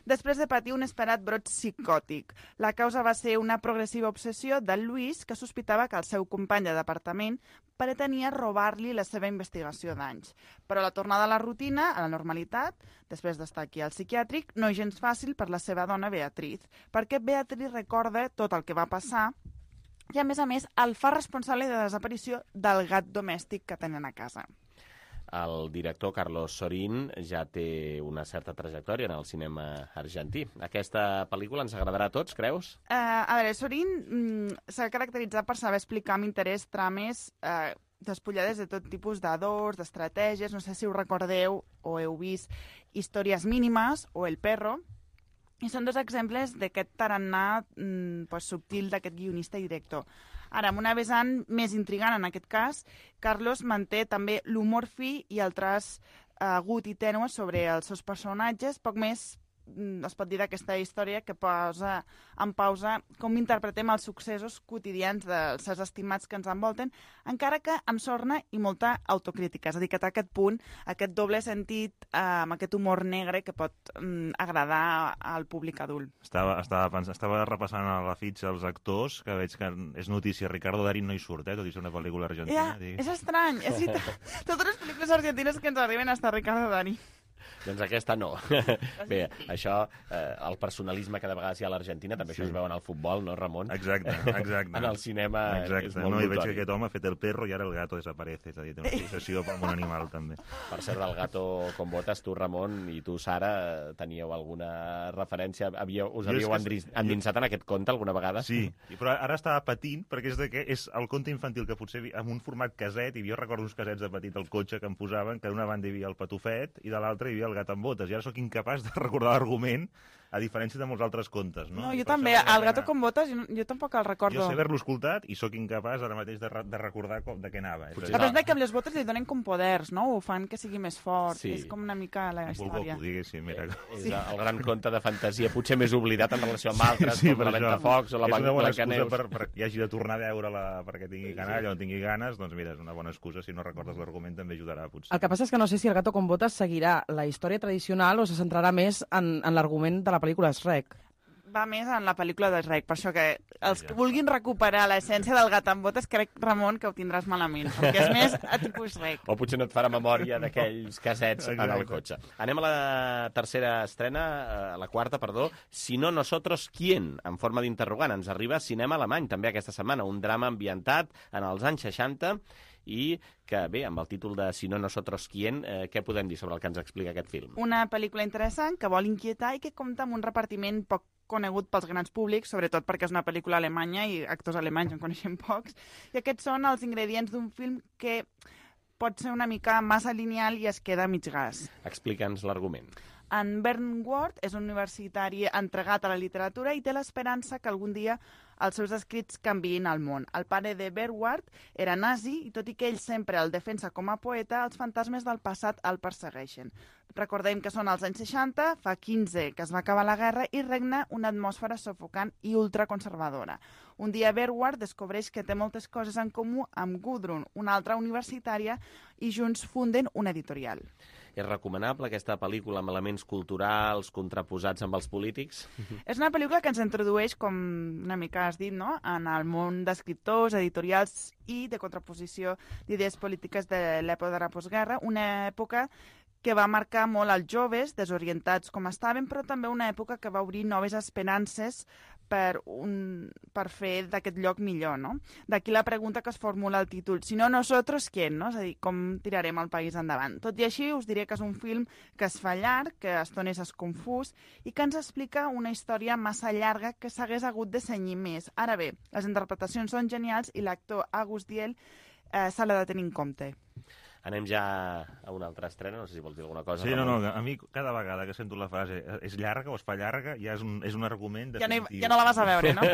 Després de patir un esperat brot psicòtic. La causa va ser una progressiva obsessió del Luis, que sospitava que el seu company de departament pretenia robar-li la seva investigació d'anys. Però la tornada a la rutina, a la normalitat, després d'estar aquí al psiquiàtric, no és gens fàcil per la seva dona Beatriz, perquè Beatriz recorda tot el que va passar i, a més a més, el fa responsable de la desaparició del gat domèstic que tenen a casa. El director Carlos Sorín ja té una certa trajectòria en el cinema argentí. Aquesta pel·lícula ens agradarà a tots, creus? Uh, a veure, Sorín mm, s'ha caracteritzat per saber explicar amb interès trames uh, despullades de tot tipus d'adors, d'estratègies. No sé si ho recordeu o heu vist Històries mínimes o El perro. I són dos exemples d'aquest tarannà mm, pues, subtil d'aquest guionista i director. Ara, amb una vessant més intrigant en aquest cas, Carlos manté també l'humor fi i el traç agut i tènue sobre els seus personatges, poc més es pot dir d'aquesta història que posa en pausa com interpretem els successos quotidians dels seus estimats que ens envolten, encara que amb sorna i molta autocrítica. És a dir, que té aquest punt, aquest doble sentit, eh, amb aquest humor negre que pot mm, agradar al públic adult. Estava, estava, pens... estava repassant a la fitxa els actors, que veig que és notícia. Ricardo Darín no hi surt, eh, tot i ser una pel·lícula argentina. Ja, és estrany. És totes les pel·lícules argentines que ens arriben hasta Ricardo Darín. Doncs aquesta no. Bé, això, eh, el personalisme que de vegades hi ha a l'Argentina, també sí. Això es veu en el futbol, no, Ramon? Exacte, exacte. En el cinema exacte. És molt no, notori. I veig que aquest home ha fet el perro i ara el gato desaparece, és a dir, té una fixació per un animal, també. Per cert, del gato con botas, tu, Ramon, i tu, Sara, teníeu alguna referència? Havíeu, us havíeu endins, endinsat en aquest conte alguna vegada? Sí, però ara estava patint, perquè és, de que és el conte infantil que potser amb un format caset, i jo recordo uns casets de petit al cotxe que em posaven, que d'una banda hi havia el patufet i de l'altra hi havia el gat amb botes, i ara sóc incapaç de recordar l'argument, a diferència de molts altres contes, no? No, jo també, el gato con botes, jo, jo tampoc el recordo. Jo sé haver-lo escoltat i sóc incapaç ara mateix de, de recordar com, de què anava. La veritat és que amb les botes li donen com poders, no? Ho fan que sigui més fort, sí. És com una mica la història. Goku, diguéssim, mira. És sí. El gran conte de fantasia, potser més oblidat en relació amb altres, sí, com la Ventafocs o la Blancaneus. És una bona excusa per, per que hagi de tornar a veure-la perquè tingui canalla o tingui ganes, doncs mira, és una bona excusa. Si no recordes l'argument també ajudarà, potser. El que passa és que no sé si el gato con botes seguirà la història tradicional o se centrarà més en, en l'argument de la pel·lícula Shrek. Va més en la pel·lícula de Shrek, per això que els que vulguin recuperar l'essència del gat amb botes, crec, Ramon, que ho tindràs malament, perquè és més a tipus Shrek. O potser no et farà memòria d'aquells casets en el cotxe. Anem a la tercera estrena, a la quarta, perdó, Si no nosotros, ¿quién? En forma d'interrogant. Ens arriba Cinema Alemany, també aquesta setmana, un drama ambientat en els anys seixanta, i que, bé, amb el títol de Si no nosotros, ¿quién? Eh, què podem dir sobre el que ens explica aquest film? Una pel·lícula interessant que vol inquietar i que compta amb un repartiment poc conegut pels grans públics, sobretot perquè és una pel·lícula alemanya i actors alemanys en coneixem pocs. I aquests són els ingredients d'un film que pot ser una mica massa lineal i es queda a mig gas. Explica'ns l'argument. En Bernd Ward és un universitari entregat a la literatura i té l'esperança que algun dia els seus escrits canviïn el món. El pare de Bernd Ward era nazi i tot i que ell sempre el defensa com a poeta, els fantasmes del passat el persegueixen. Recordem que són els anys seixanta, fa quinze que es va acabar la guerra i regna una atmosfera sufocant i ultraconservadora. Un dia Bernd Ward descobreix que té moltes coses en comú amb Gudrun, una altra universitària, i junts funden una editorial. És recomanable aquesta pel·lícula amb elements culturals contraposats amb els polítics? És una pel·lícula que ens introdueix, com una mica has dit, no?, en el món d'escriptors, editorials i de contraposició d'idees polítiques de l'època de la postguerra, una època que va marcar molt als joves, desorientats com estaven, però també una època que va obrir noves esperances per, un, per fer d'aquest lloc millor, no? D'aquí la pregunta que es formula el títol, si no nosotros, ¿quién? No? És a dir, com tirarem el país endavant. Tot i així, us diré que és un film que es fa llarg, que a estones és confús i que ens explica una història massa llarga que s'hagués hagut de cenyir més. Ara bé, les interpretacions són genials i l'actor August Diel eh, se l'ha de tenir en compte. Anem ja a una altra estrena, no sé si vols dir alguna cosa. Sí, no, no, a mi cada vegada que sento la frase és llarga o es fa llarga, ja és un, és un argument definitiu. Ja no, ja no la vas a veure, no?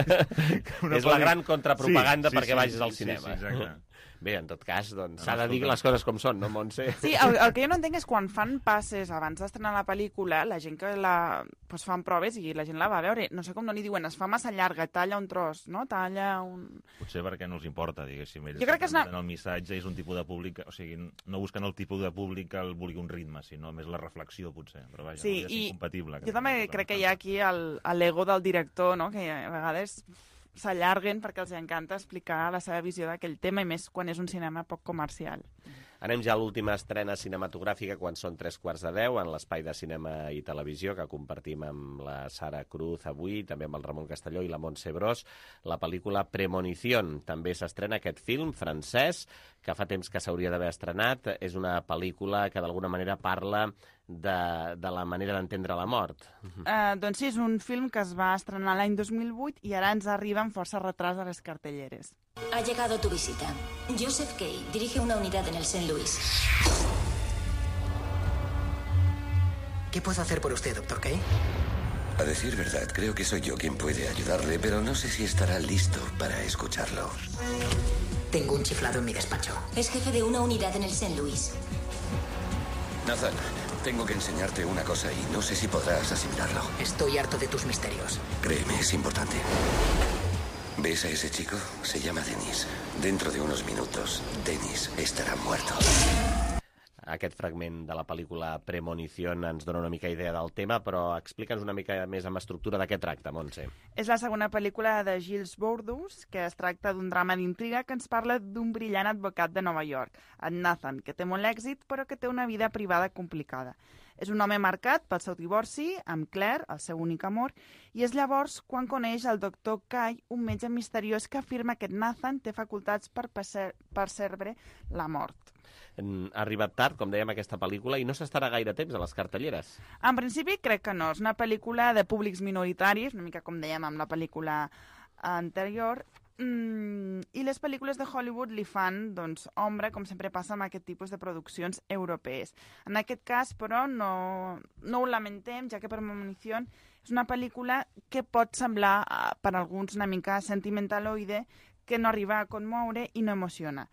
És la gran contrapropaganda sí, sí, perquè sí, vagis al sí, cinema. Sí, sí, exacte. Bé, en tot cas, doncs, s'ha de dir les coses com són, no, Montse? Sí, el, el que jo no entenc és quan fan passes abans d'estrenar la pel·lícula, la gent que la pues, fan proves i la gent la va a veure, no sé com no li diuen, es fa massa llarga, talla un tros, no? Talla un... Potser perquè no els importa, diguéssim. Ells jo crec que és una... el missatge és un tipus de públic, o sigui, no busquen el tipus de públic que el vulgui un ritme, sinó més la reflexió, potser. Però vaja, sí, no és incompatible. Jo també crec que hi ha aquí l'ego del director, no? Que a vegades s'allarguen perquè els encanta explicar la seva visió d'aquell tema, i més quan és un cinema poc comercial. Anem ja a l'última estrena cinematogràfica quan són tres quarts de deu en l'espai de cinema i televisió que compartim amb la Sara Cruz avui, també amb el Ramon Castelló i la Montse Bros, la pel·lícula Premonición. També s'estrena aquest film francès que fa temps que s'hauria d'haver estrenat. És una pel·lícula que d'alguna manera parla de, de la manera d'entendre la mort. Uh, doncs sí, és un film que es va estrenar l'any dos mil vuit i ara ens arriba amb força retras a les cartelleres. Ha llegado tu visita. Joseph Kay dirige una unidad en el Saint Louis. ¿Qué puedo hacer por usted, doctor Kay? A decir verdad, creo que soy yo quien puede ayudarle, pero no sé si estará listo para escucharlo. Tengo un chiflado en mi despacho. Es jefe de una unidad en el Saint Louis. Nathan, tengo que enseñarte una cosa y no sé si podrás asimilarlo. Estoy harto de tus misterios. Créeme, es importante. ¿Ves a ese chico? Se llama Dennis. Dentro de unos minutos, Dennis estarà muerto. Aquest fragment de la pel·lícula Premonición ens dona una mica idea del tema, però explica'ns una mica més amb estructura de què tracta, Montse. És la segona pel·lícula de Gilles Bourdous, que es tracta d'un drama d'intriga que ens parla d'un brillant advocat de Nova York, en Nathan, que té molt èxit, però que té una vida privada complicada. És un home marcat pel seu divorci amb Claire, el seu únic amor, i és llavors quan coneix el doctor Kay, un metge misteriós que afirma que Nathan té facultats per percebre la mort. Ha arribat tard, com dèiem, aquesta pel·lícula, i no s'estarà gaire temps a les cartelleres. En principi crec que no. És una pel·lícula de públics minoritaris, una mica com dèiem amb la pel·lícula anterior, Mm, i les pel·lícules de Hollywood li fan, doncs, ombra, com sempre passa amb aquest tipus de produccions europees. En aquest cas, però, no, no ho lamentem, ja que Premonición és una pel·lícula que pot semblar, per alguns, una mica sentimentaloide, que no arriba a conmoure i no emociona.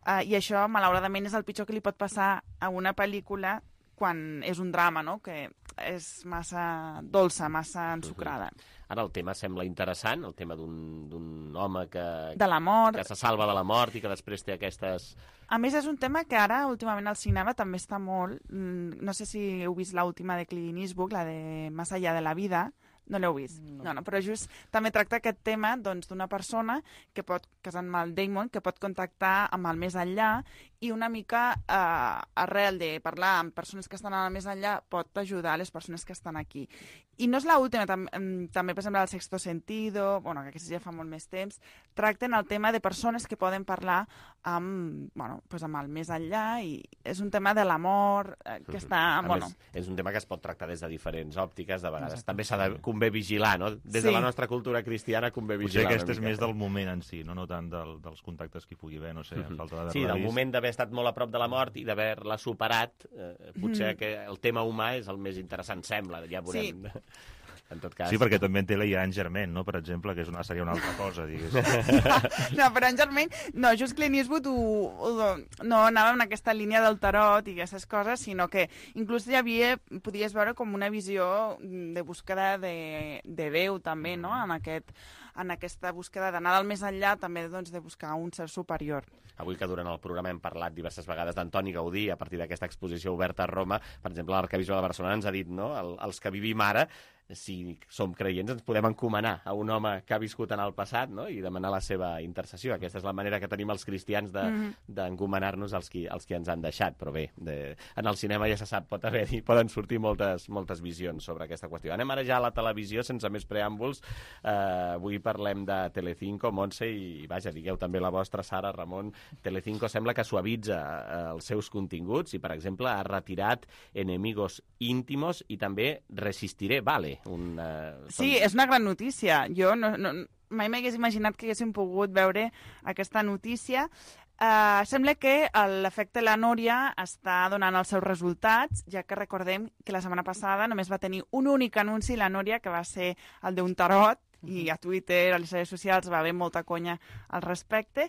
Uh, I això, malauradament, és el pitjor que li pot passar a una pel·lícula quan és un drama, no?, que és massa dolça, massa ensucrada. Ara el tema sembla interessant, el tema d'un home que, de la mort, que se salva de la mort i que després té aquestes... A més, és un tema que ara, últimament, al cinema també està molt... No sé si heu vist l'última de Clint Eastwood, la de Más allá de la vida. No l'heu vist? No. no, no, però just també tracta aquest tema doncs, d'una persona que pot, que és en Matt Damon, que pot contactar amb el més enllà i una mica eh, arrel de parlar amb persones que estan al més enllà pot ajudar les persones que estan aquí. I no és l'última, tam també, per exemple, el Sexto Sentido, bueno, que aquesta ja fa molt més temps, tracten el tema de persones que poden parlar amb, bueno, pues amb el més enllà i és un tema de l'amor eh, que està... A Bueno. més, és un tema que es pot tractar des de diferents òptiques, de vegades. Exacte. També s'ha de convé vigilar, no? Des Sí. de la nostra cultura cristiana convé Potser vigilar. aquest és més del moment en si, no, no tant del, dels contactes que hi pugui haver, no sé, Mhm. falta d'haver-la Sí, del vist. moment d'haver estat molt a prop de la mort i d'haver-la superat, eh, potser Mhm. que el tema humà és el més interessant, sembla, ja veurem. En tot cas... Sí, perquè també en té la Ian Germain, no?, per exemple, que és una, seria una altra cosa, diguéssim. No, però en Germain, no, just Clint Eastwood ho, ho, no anava en aquesta línia del tarot i aquestes coses, sinó que inclús hi havia, podies veure com una visió de búsqueda de, de Déu també, no?, en, aquest, en aquesta búsqueda d'anar del més enllà, també doncs, de buscar un ser superior. Avui que durant el programa hem parlat diverses vegades d'Antoni Gaudí a partir d'aquesta exposició oberta a Roma, per exemple, l'Arquebisbe de Barcelona ens ha dit, no?, el, els que vivim ara, si som creients, ens podem encomanar a un home que ha viscut en el passat, no?, i demanar la seva intercessió. Aquesta és la manera que tenim els cristians d'encomanar-nos de, mm-hmm. als, qui, als qui ens han deixat. Però bé, de, en el cinema ja se sap, pot haver-hi, poden sortir moltes, moltes visions sobre aquesta qüestió. Anem ara ja a la televisió, sense més preàmbuls. Uh, avui parlem de Telecinco, Montse, i vaja, digueu també la vostra, Sara, Ramon. Telecinco sembla que suavitza uh, els seus continguts i, per exemple, ha retirat Enemigos íntimos i també Resistiré, vale. Un, uh, Sí, és una gran notícia. Jo no, no, mai m'hagués imaginat que haguéssim pogut veure aquesta notícia. Uh, sembla que l'efecte La Núria està donant els seus resultats, ja que recordem que la setmana passada només va tenir un únic anunci, La Núria, que va ser el d'un tarot, i a Twitter, a les redes socials, va haver molta conya al respecte.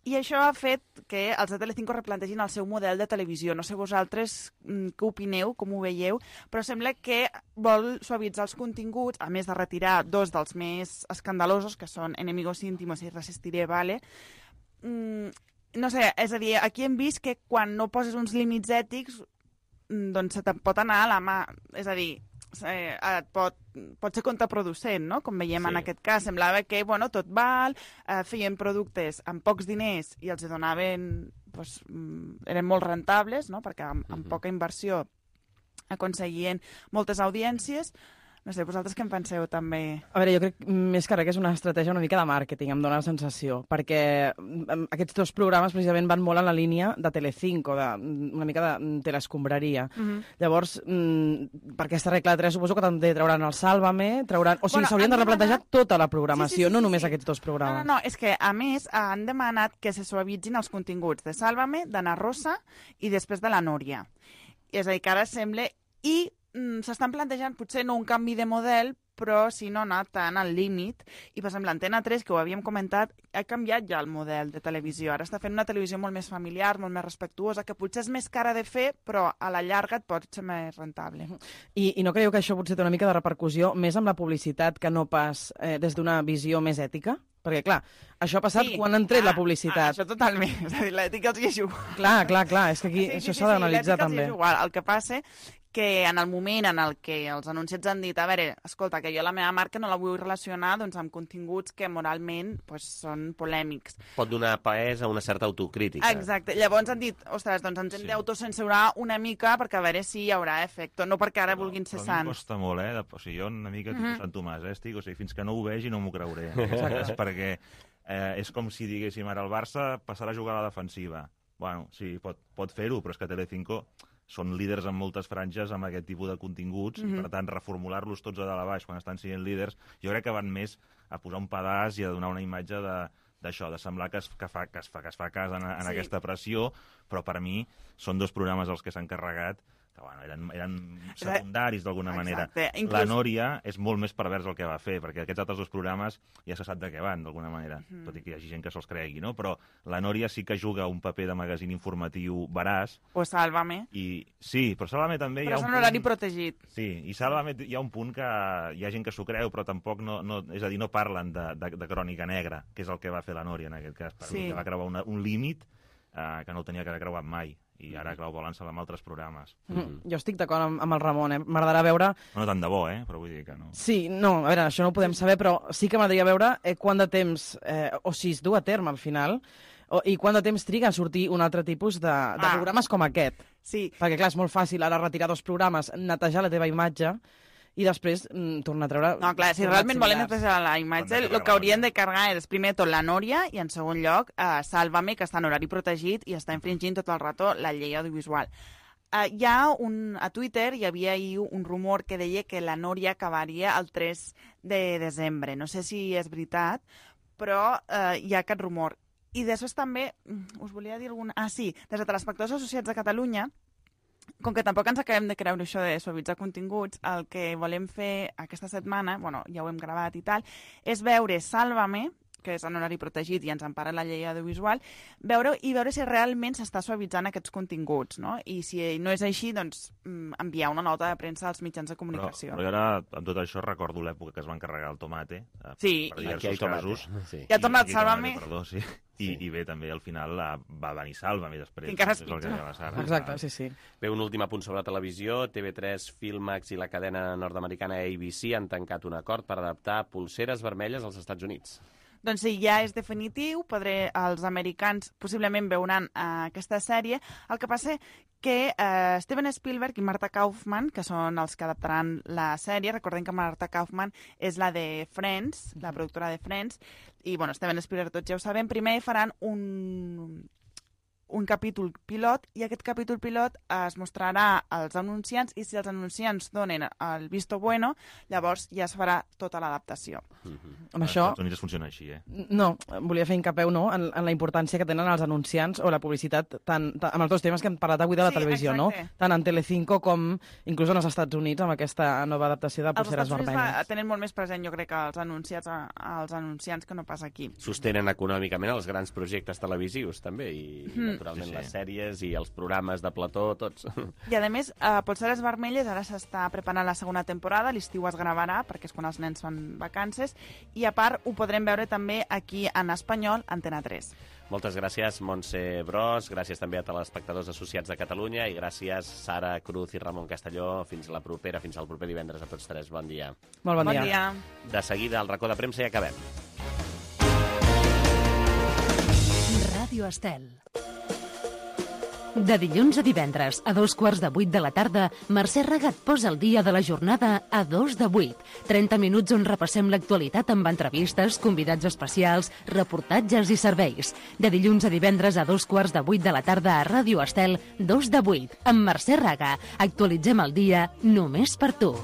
I això ha fet que els de Telecinco replantegin el seu model de televisió. No sé vosaltres què opineu, com ho veieu, però sembla que vol suavitzar els continguts, a més de retirar dos dels més escandalosos, que són Enemigos íntimos i Resistiré, vale? Mm, no sé, és a dir, aquí hem vist que quan no poses uns límits ètics, doncs se te'n pot anar a la mà. És a dir, eh, et pot, pot ser contraproducent, no? Com veiem sí. en aquest cas. Semblava que, bueno, tot val, eh, feien productes amb pocs diners i els donaven, doncs, eren molt rentables, no? Perquè amb, amb poca inversió aconseguien moltes audiències. No sé, vosaltres què en penseu, també? A veure, jo crec més que res que és una estratègia una mica de màrqueting, em dóna la sensació, perquè aquests dos programes precisament van molt en la línia de Telecinco, de, una mica de telescombraria. Uh-huh. Llavors, per aquesta regla de tres, suposo que també trauran el Sálvame, trauran... O sigui, bueno, s'haurien de replantejar demanat... tota la programació, sí, sí, sí, no només sí. aquests dos programes. No, no, no, és que, a més, han demanat que se suavitzin els continguts de Sálvame, d'Anna Rosa i després de la Núria. És a dir, que ara sembla... I s'estan plantejant potser no un canvi de model, però si no anar tant al límit. I, per exemple, Antena tres, que ho havíem comentat, ha canviat ja el model de televisió. Ara està fent una televisió molt més familiar, molt més respectuosa, que potser és més cara de fer, però a la llarga et pot ser més rentable. I, i no creieu que això potser té una mica de repercussió més amb la publicitat que no pas eh, des d'una visió més ètica? Perquè, clar, això ha passat sí, quan han tret ah, la publicitat. Ah, això totalment. És a dir, l'ètica els hi és igual. Clar, clar, clar. És que aquí sí, això sí, s'ha sí, d'analitzar sí, també. És igual. El que passa que en el moment en el que els anunciats han dit, a veure, escolta, que jo la meva marca no la vull relacionar doncs, amb continguts que moralment doncs, són polèmics. Pot donar pes a una certa autocrítica. Exacte. Llavors han dit, ostres, doncs ens hem sí. d'autocensurar una mica perquè a veure si hi haurà efecte, no perquè ara però, vulguin ser sants. Però a mi costa molt, eh? O sigui, jo una mica tipus mm -hmm. Sant Tomàs, eh? Estic, o sigui, fins que no ho vegi no m'ho creuré. Exacte. Perquè eh, és com si diguéssim ara el Barça passarà a jugar a la defensiva. Bueno, sí, pot, pot fer-ho, però és que Telecinco són líders en moltes franges amb aquest tipus de continguts, mm-hmm. i per tant reformular-los tots a dalt a baix quan estan sent líders, jo crec que van més a posar un pedaç i a donar una imatge de d'això, de semblar que es, que fa, que es, fa, que es fa cas en, en sí. aquesta pressió, però per mi són dos programes els que s'han carregat que bueno, eren, eren secundaris d'alguna manera. Inclús... La Núria és molt més pervers el que va fer, perquè aquests altres dos programes ja se sap de què van, d'alguna manera, mm. tot i que hi hagi gent que se'ls cregui, no? Però la Núria sí que juga un paper de magazín informatiu veraç. O Sálvame. I, sí, però Sálvame també però hi ha un punt... Però és un horari protegit. Sí, i Sálvame hi ha un punt que hi ha gent que s'ho creu, però tampoc no, no... És a dir, no parlen de, de, de crònica negra, que és el que va fer la Núria en aquest cas, perquè sí. va creuar una, un límit eh, que no tenia que haver creuat mai. I ara, clar, ho volen salvar amb altres programes. Mm. Mm. Jo estic d'acord amb, amb el Ramon, eh? M'agradarà veure... No tant de bo, eh? Però vull dir que no... Sí, no, a veure, això no ho podem saber, però sí que m'agradaria veure eh, quant de temps, eh, o si es du a terme al final, o, i quant de temps triga a sortir un altre tipus de, de ah. programes com aquest. Sí. Perquè, clar, és molt fàcil ara retirar dos programes, netejar la teva imatge, i després mm, tornar a treure... No, clar, si realment volen netejar la imatge, el que haurien de carregar és primer tot la Núria i en segon lloc eh, Sálvame, que està en horari protegit i està infringint tot el rato la llei audiovisual. Eh, hi ha un, a Twitter hi havia ahir un rumor que deia que la Núria acabaria el tres de desembre. No sé si és veritat, però eh, hi ha aquest rumor. I després també, us volia dir alguna... Ah, sí, des de Telespectadors Associats de Catalunya, com que tampoc ens acabem de creure això de suavitzar continguts, el que volem fer aquesta setmana, bueno, ja ho hem gravat i tal, és veure Sálvame, que és en horari protegit i ens empara la llei audiovisual, veure i veure si realment s'està suavitzant aquests continguts, no? I si no és així, doncs enviar una nota de premsa als mitjans de comunicació. Però, però ara, amb tot això, recordo l'època que es van carregar el tomate, eh, sí. per diversos casos. Sí. I ha tornat Sálvame. Perdó, sí. I, sí. I bé, també al final la, va venir Sálvame després. Encara és pitjor. Exacte, sí, sí. Bé, un últim apunt sobre televisió. T V tres, Filmax i la cadena nord-americana A B C han tancat un acord per adaptar Polseres vermelles als Estats Units. Doncs sí, ja és definitiu, podré, els americans possiblement veuran uh, aquesta sèrie. El que passa que uh, Steven Spielberg i Marta Kaufman, que són els que adaptaran la sèrie, recordem que Marta Kaufman és la de Friends, la productora de Friends, i bueno, Steven Spielberg tots ja ho sabem, primer faran un... un capítol pilot i aquest capítol pilot es mostrarà als anunciants i si els anunciants donen el visto bueno, llavors ja es farà tota l'adaptació. Mm-hmm. Amb això... Als Estats Units funciona així, eh? No, volia fer incapeu no, en, en la importància que tenen els anunciants o la publicitat tant, tant, amb els dos temes que hem parlat avui de la Sí, televisió, exacte. no? Tant en Telecinco com inclús en els Estats Units amb aquesta nova adaptació de Els Polseres Estats Units Vermelles. va, tenen molt més present, jo crec, que els anunciats, als anunciants que no pas aquí. Sostenen econòmicament els grans projectes televisius, també, i Mm. naturalment Sí, sí. les sèries i els programes de plató, tots. I, a més, a Polseres Vermelles ara s'està preparant la segona temporada, l'estiu es gravarà, perquè és quan els nens fan vacances, i a part ho podrem veure també aquí en espanyol, Antena tres. Moltes gràcies, Montse Bros, gràcies també a telespectadors associats de Catalunya i gràcies, Sara Cruz i Ramon Castelló. Fins la propera, fins al proper divendres a tots tres. Bon dia. Molt bon, Bon dia. dia. De seguida, al racó de premsa i acabem. Ràdio Estel. De dilluns a divendres, a dos quarts de vuit de la tarda, Mercè Regat posa el dia de la jornada a dos de vuit. trenta minuts on repassem l'actualitat amb entrevistes, convidats especials, reportatges i serveis. De dilluns a divendres a dos quarts de vuit de la tarda a Ràdio Estel, dos de vuit, amb Mercè Raga. Actualitzem el dia només per tu.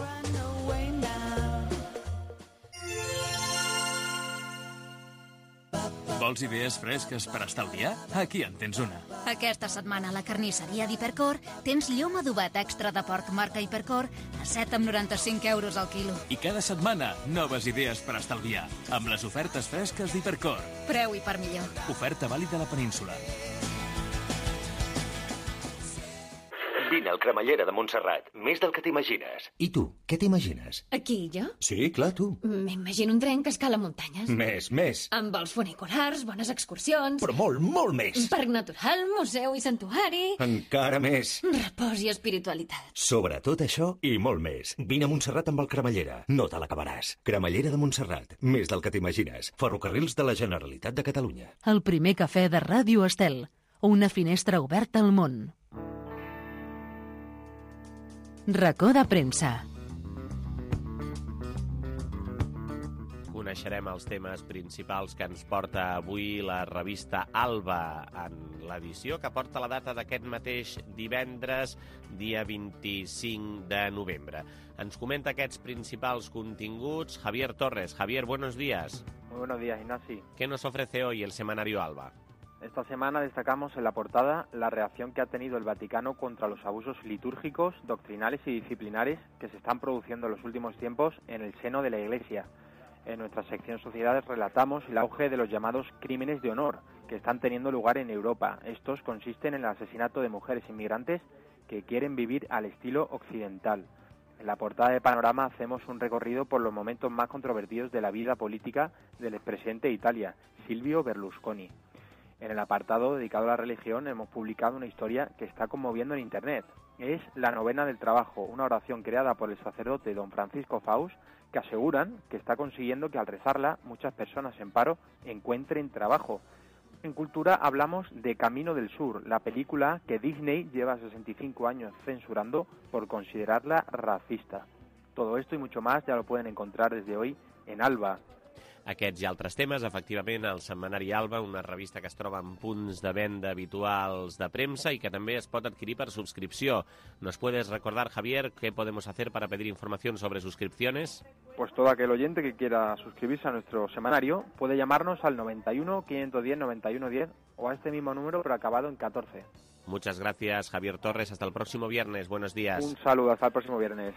Vols idees fresques per estalviar? Aquí en tens una. Aquesta setmana a la carnisseria d'Hipercor tens llom adobat extra de porc marca Hipercor a set coma noranta-cinc euros al quilo. I cada setmana, noves idees per estalviar, amb les ofertes fresques d'Hipercor. Preu i per millor. Oferta vàlida a la península. Vine al Cremallera de Montserrat, més del que t'imagines. I tu, què t'imagines? Aquí, jo? Sí, clar, tu. M'imagino un tren que escala muntanyes. Més, més. Amb vols funiculars, bones excursions... Però molt, molt més. Parc natural, museu i santuari... Encara més. Repòs i espiritualitat. Sobretot això i molt més. Vine a Montserrat amb el Cremallera. No te l'acabaràs. Cremallera de Montserrat, més del que t'imagines. Ferrocarrils de la Generalitat de Catalunya. El primer cafè de Ràdio Estel. Una finestra oberta al món. Racó de premsa. Coneixerem els temes principals que ens porta avui la revista Alba en l'edició que porta la data d'aquest mateix divendres, dia vint-i-cinc de novembre. Ens comenta aquests principals continguts Javier Torres. Javier, buenos días. Muy buenos días, Ignasi. ¿Qué nos ofrece hoy el semanario Alba? Esta semana destacamos en la portada la reacción que ha tenido el Vaticano contra los abusos litúrgicos, doctrinales y disciplinares que se están produciendo en los últimos tiempos en el seno de la Iglesia. En nuestra sección Sociedades relatamos el auge de los llamados crímenes de honor que están teniendo lugar en Europa. Estos consisten en el asesinato de mujeres inmigrantes que quieren vivir al estilo occidental. En la portada de Panorama hacemos un recorrido por los momentos más controvertidos de la vida política del expresidente de Italia, Silvio Berlusconi. En el apartado dedicado a la religión hemos publicado una historia que está conmoviendo en Internet. Es la novena del trabajo, una oración creada por el sacerdote don Francisco Faus, que aseguran que está consiguiendo que al rezarla muchas personas en paro encuentren trabajo. En cultura hablamos de Camino del Sur, la película que Disney lleva sesenta y cinco años censurando por considerarla racista. Todo esto y mucho más ya lo pueden encontrar desde hoy en Alba. Aquests i altres temes, efectivament, el setmanari Alba, una revista que es troba en punts de venda habituals de premsa y que també es pot adquirir per subscripció. ¿Nos puedes recordar, Javier, qué podemos hacer para pedir información sobre suscripciones? Pues todo aquel oyente que quiera suscribirse a nuestro semanario puede llamarnos al noventa y uno, quinientos diez, noventa y uno diez o a este mismo número pero acabado en catorce. Muchas gracias, Javier Torres. Hasta el próximo viernes. Buenos días. Un saludo, hasta el próximo viernes.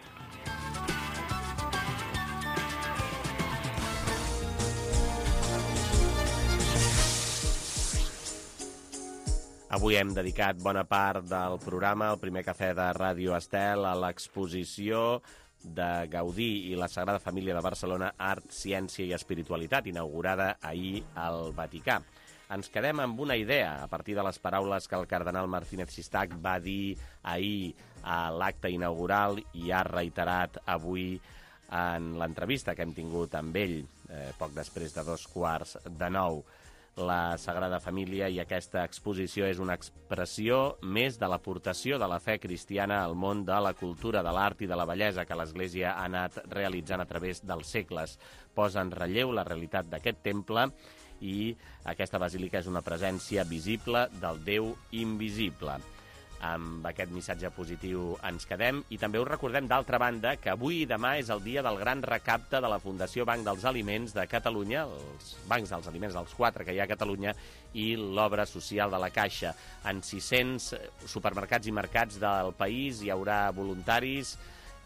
Avui hem dedicat bona part del programa, el primer cafè de Ràdio Estel, a l'exposició de Gaudí i la Sagrada Família de Barcelona, Art, Ciència i Espiritualitat, inaugurada ahir al Vaticà. Ens quedem amb una idea, a partir de les paraules que el cardenal Martínez Sistac va dir ahir a l'acte inaugural i ha reiterat avui en l'entrevista que hem tingut amb ell, eh, poc després de dos quarts de nou. La Sagrada Família i aquesta exposició és una expressió més de l'aportació de la fe cristiana al món de la cultura, de l'art i de la bellesa que l'Església ha anat realitzant a través dels segles. Posa en relleu la realitat d'aquest temple i aquesta basílica és una presència visible del Déu invisible. Amb aquest missatge positiu ens quedem i també us recordem, d'altra banda, que avui i demà és el dia del gran recapte de la Fundació Banc dels Aliments de Catalunya, els bancs dels aliments, els quatre que hi ha a Catalunya, i l'obra social de la Caixa. En sis-cents supermercats i mercats del país hi haurà voluntaris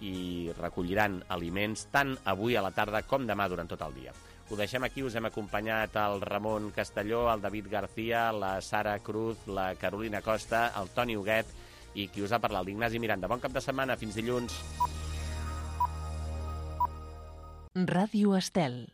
i recolliran aliments tant avui a la tarda com demà durant tot el dia. Ho deixem aquí, us hem acompanyat el Ramon Castelló, el David García, la Sara Cruz, la Carolina Costa, el Toni Huguet i qui us ha parlat, l'Ignasi Miranda. Bon cap de setmana, fins dilluns. Ràdio Estel.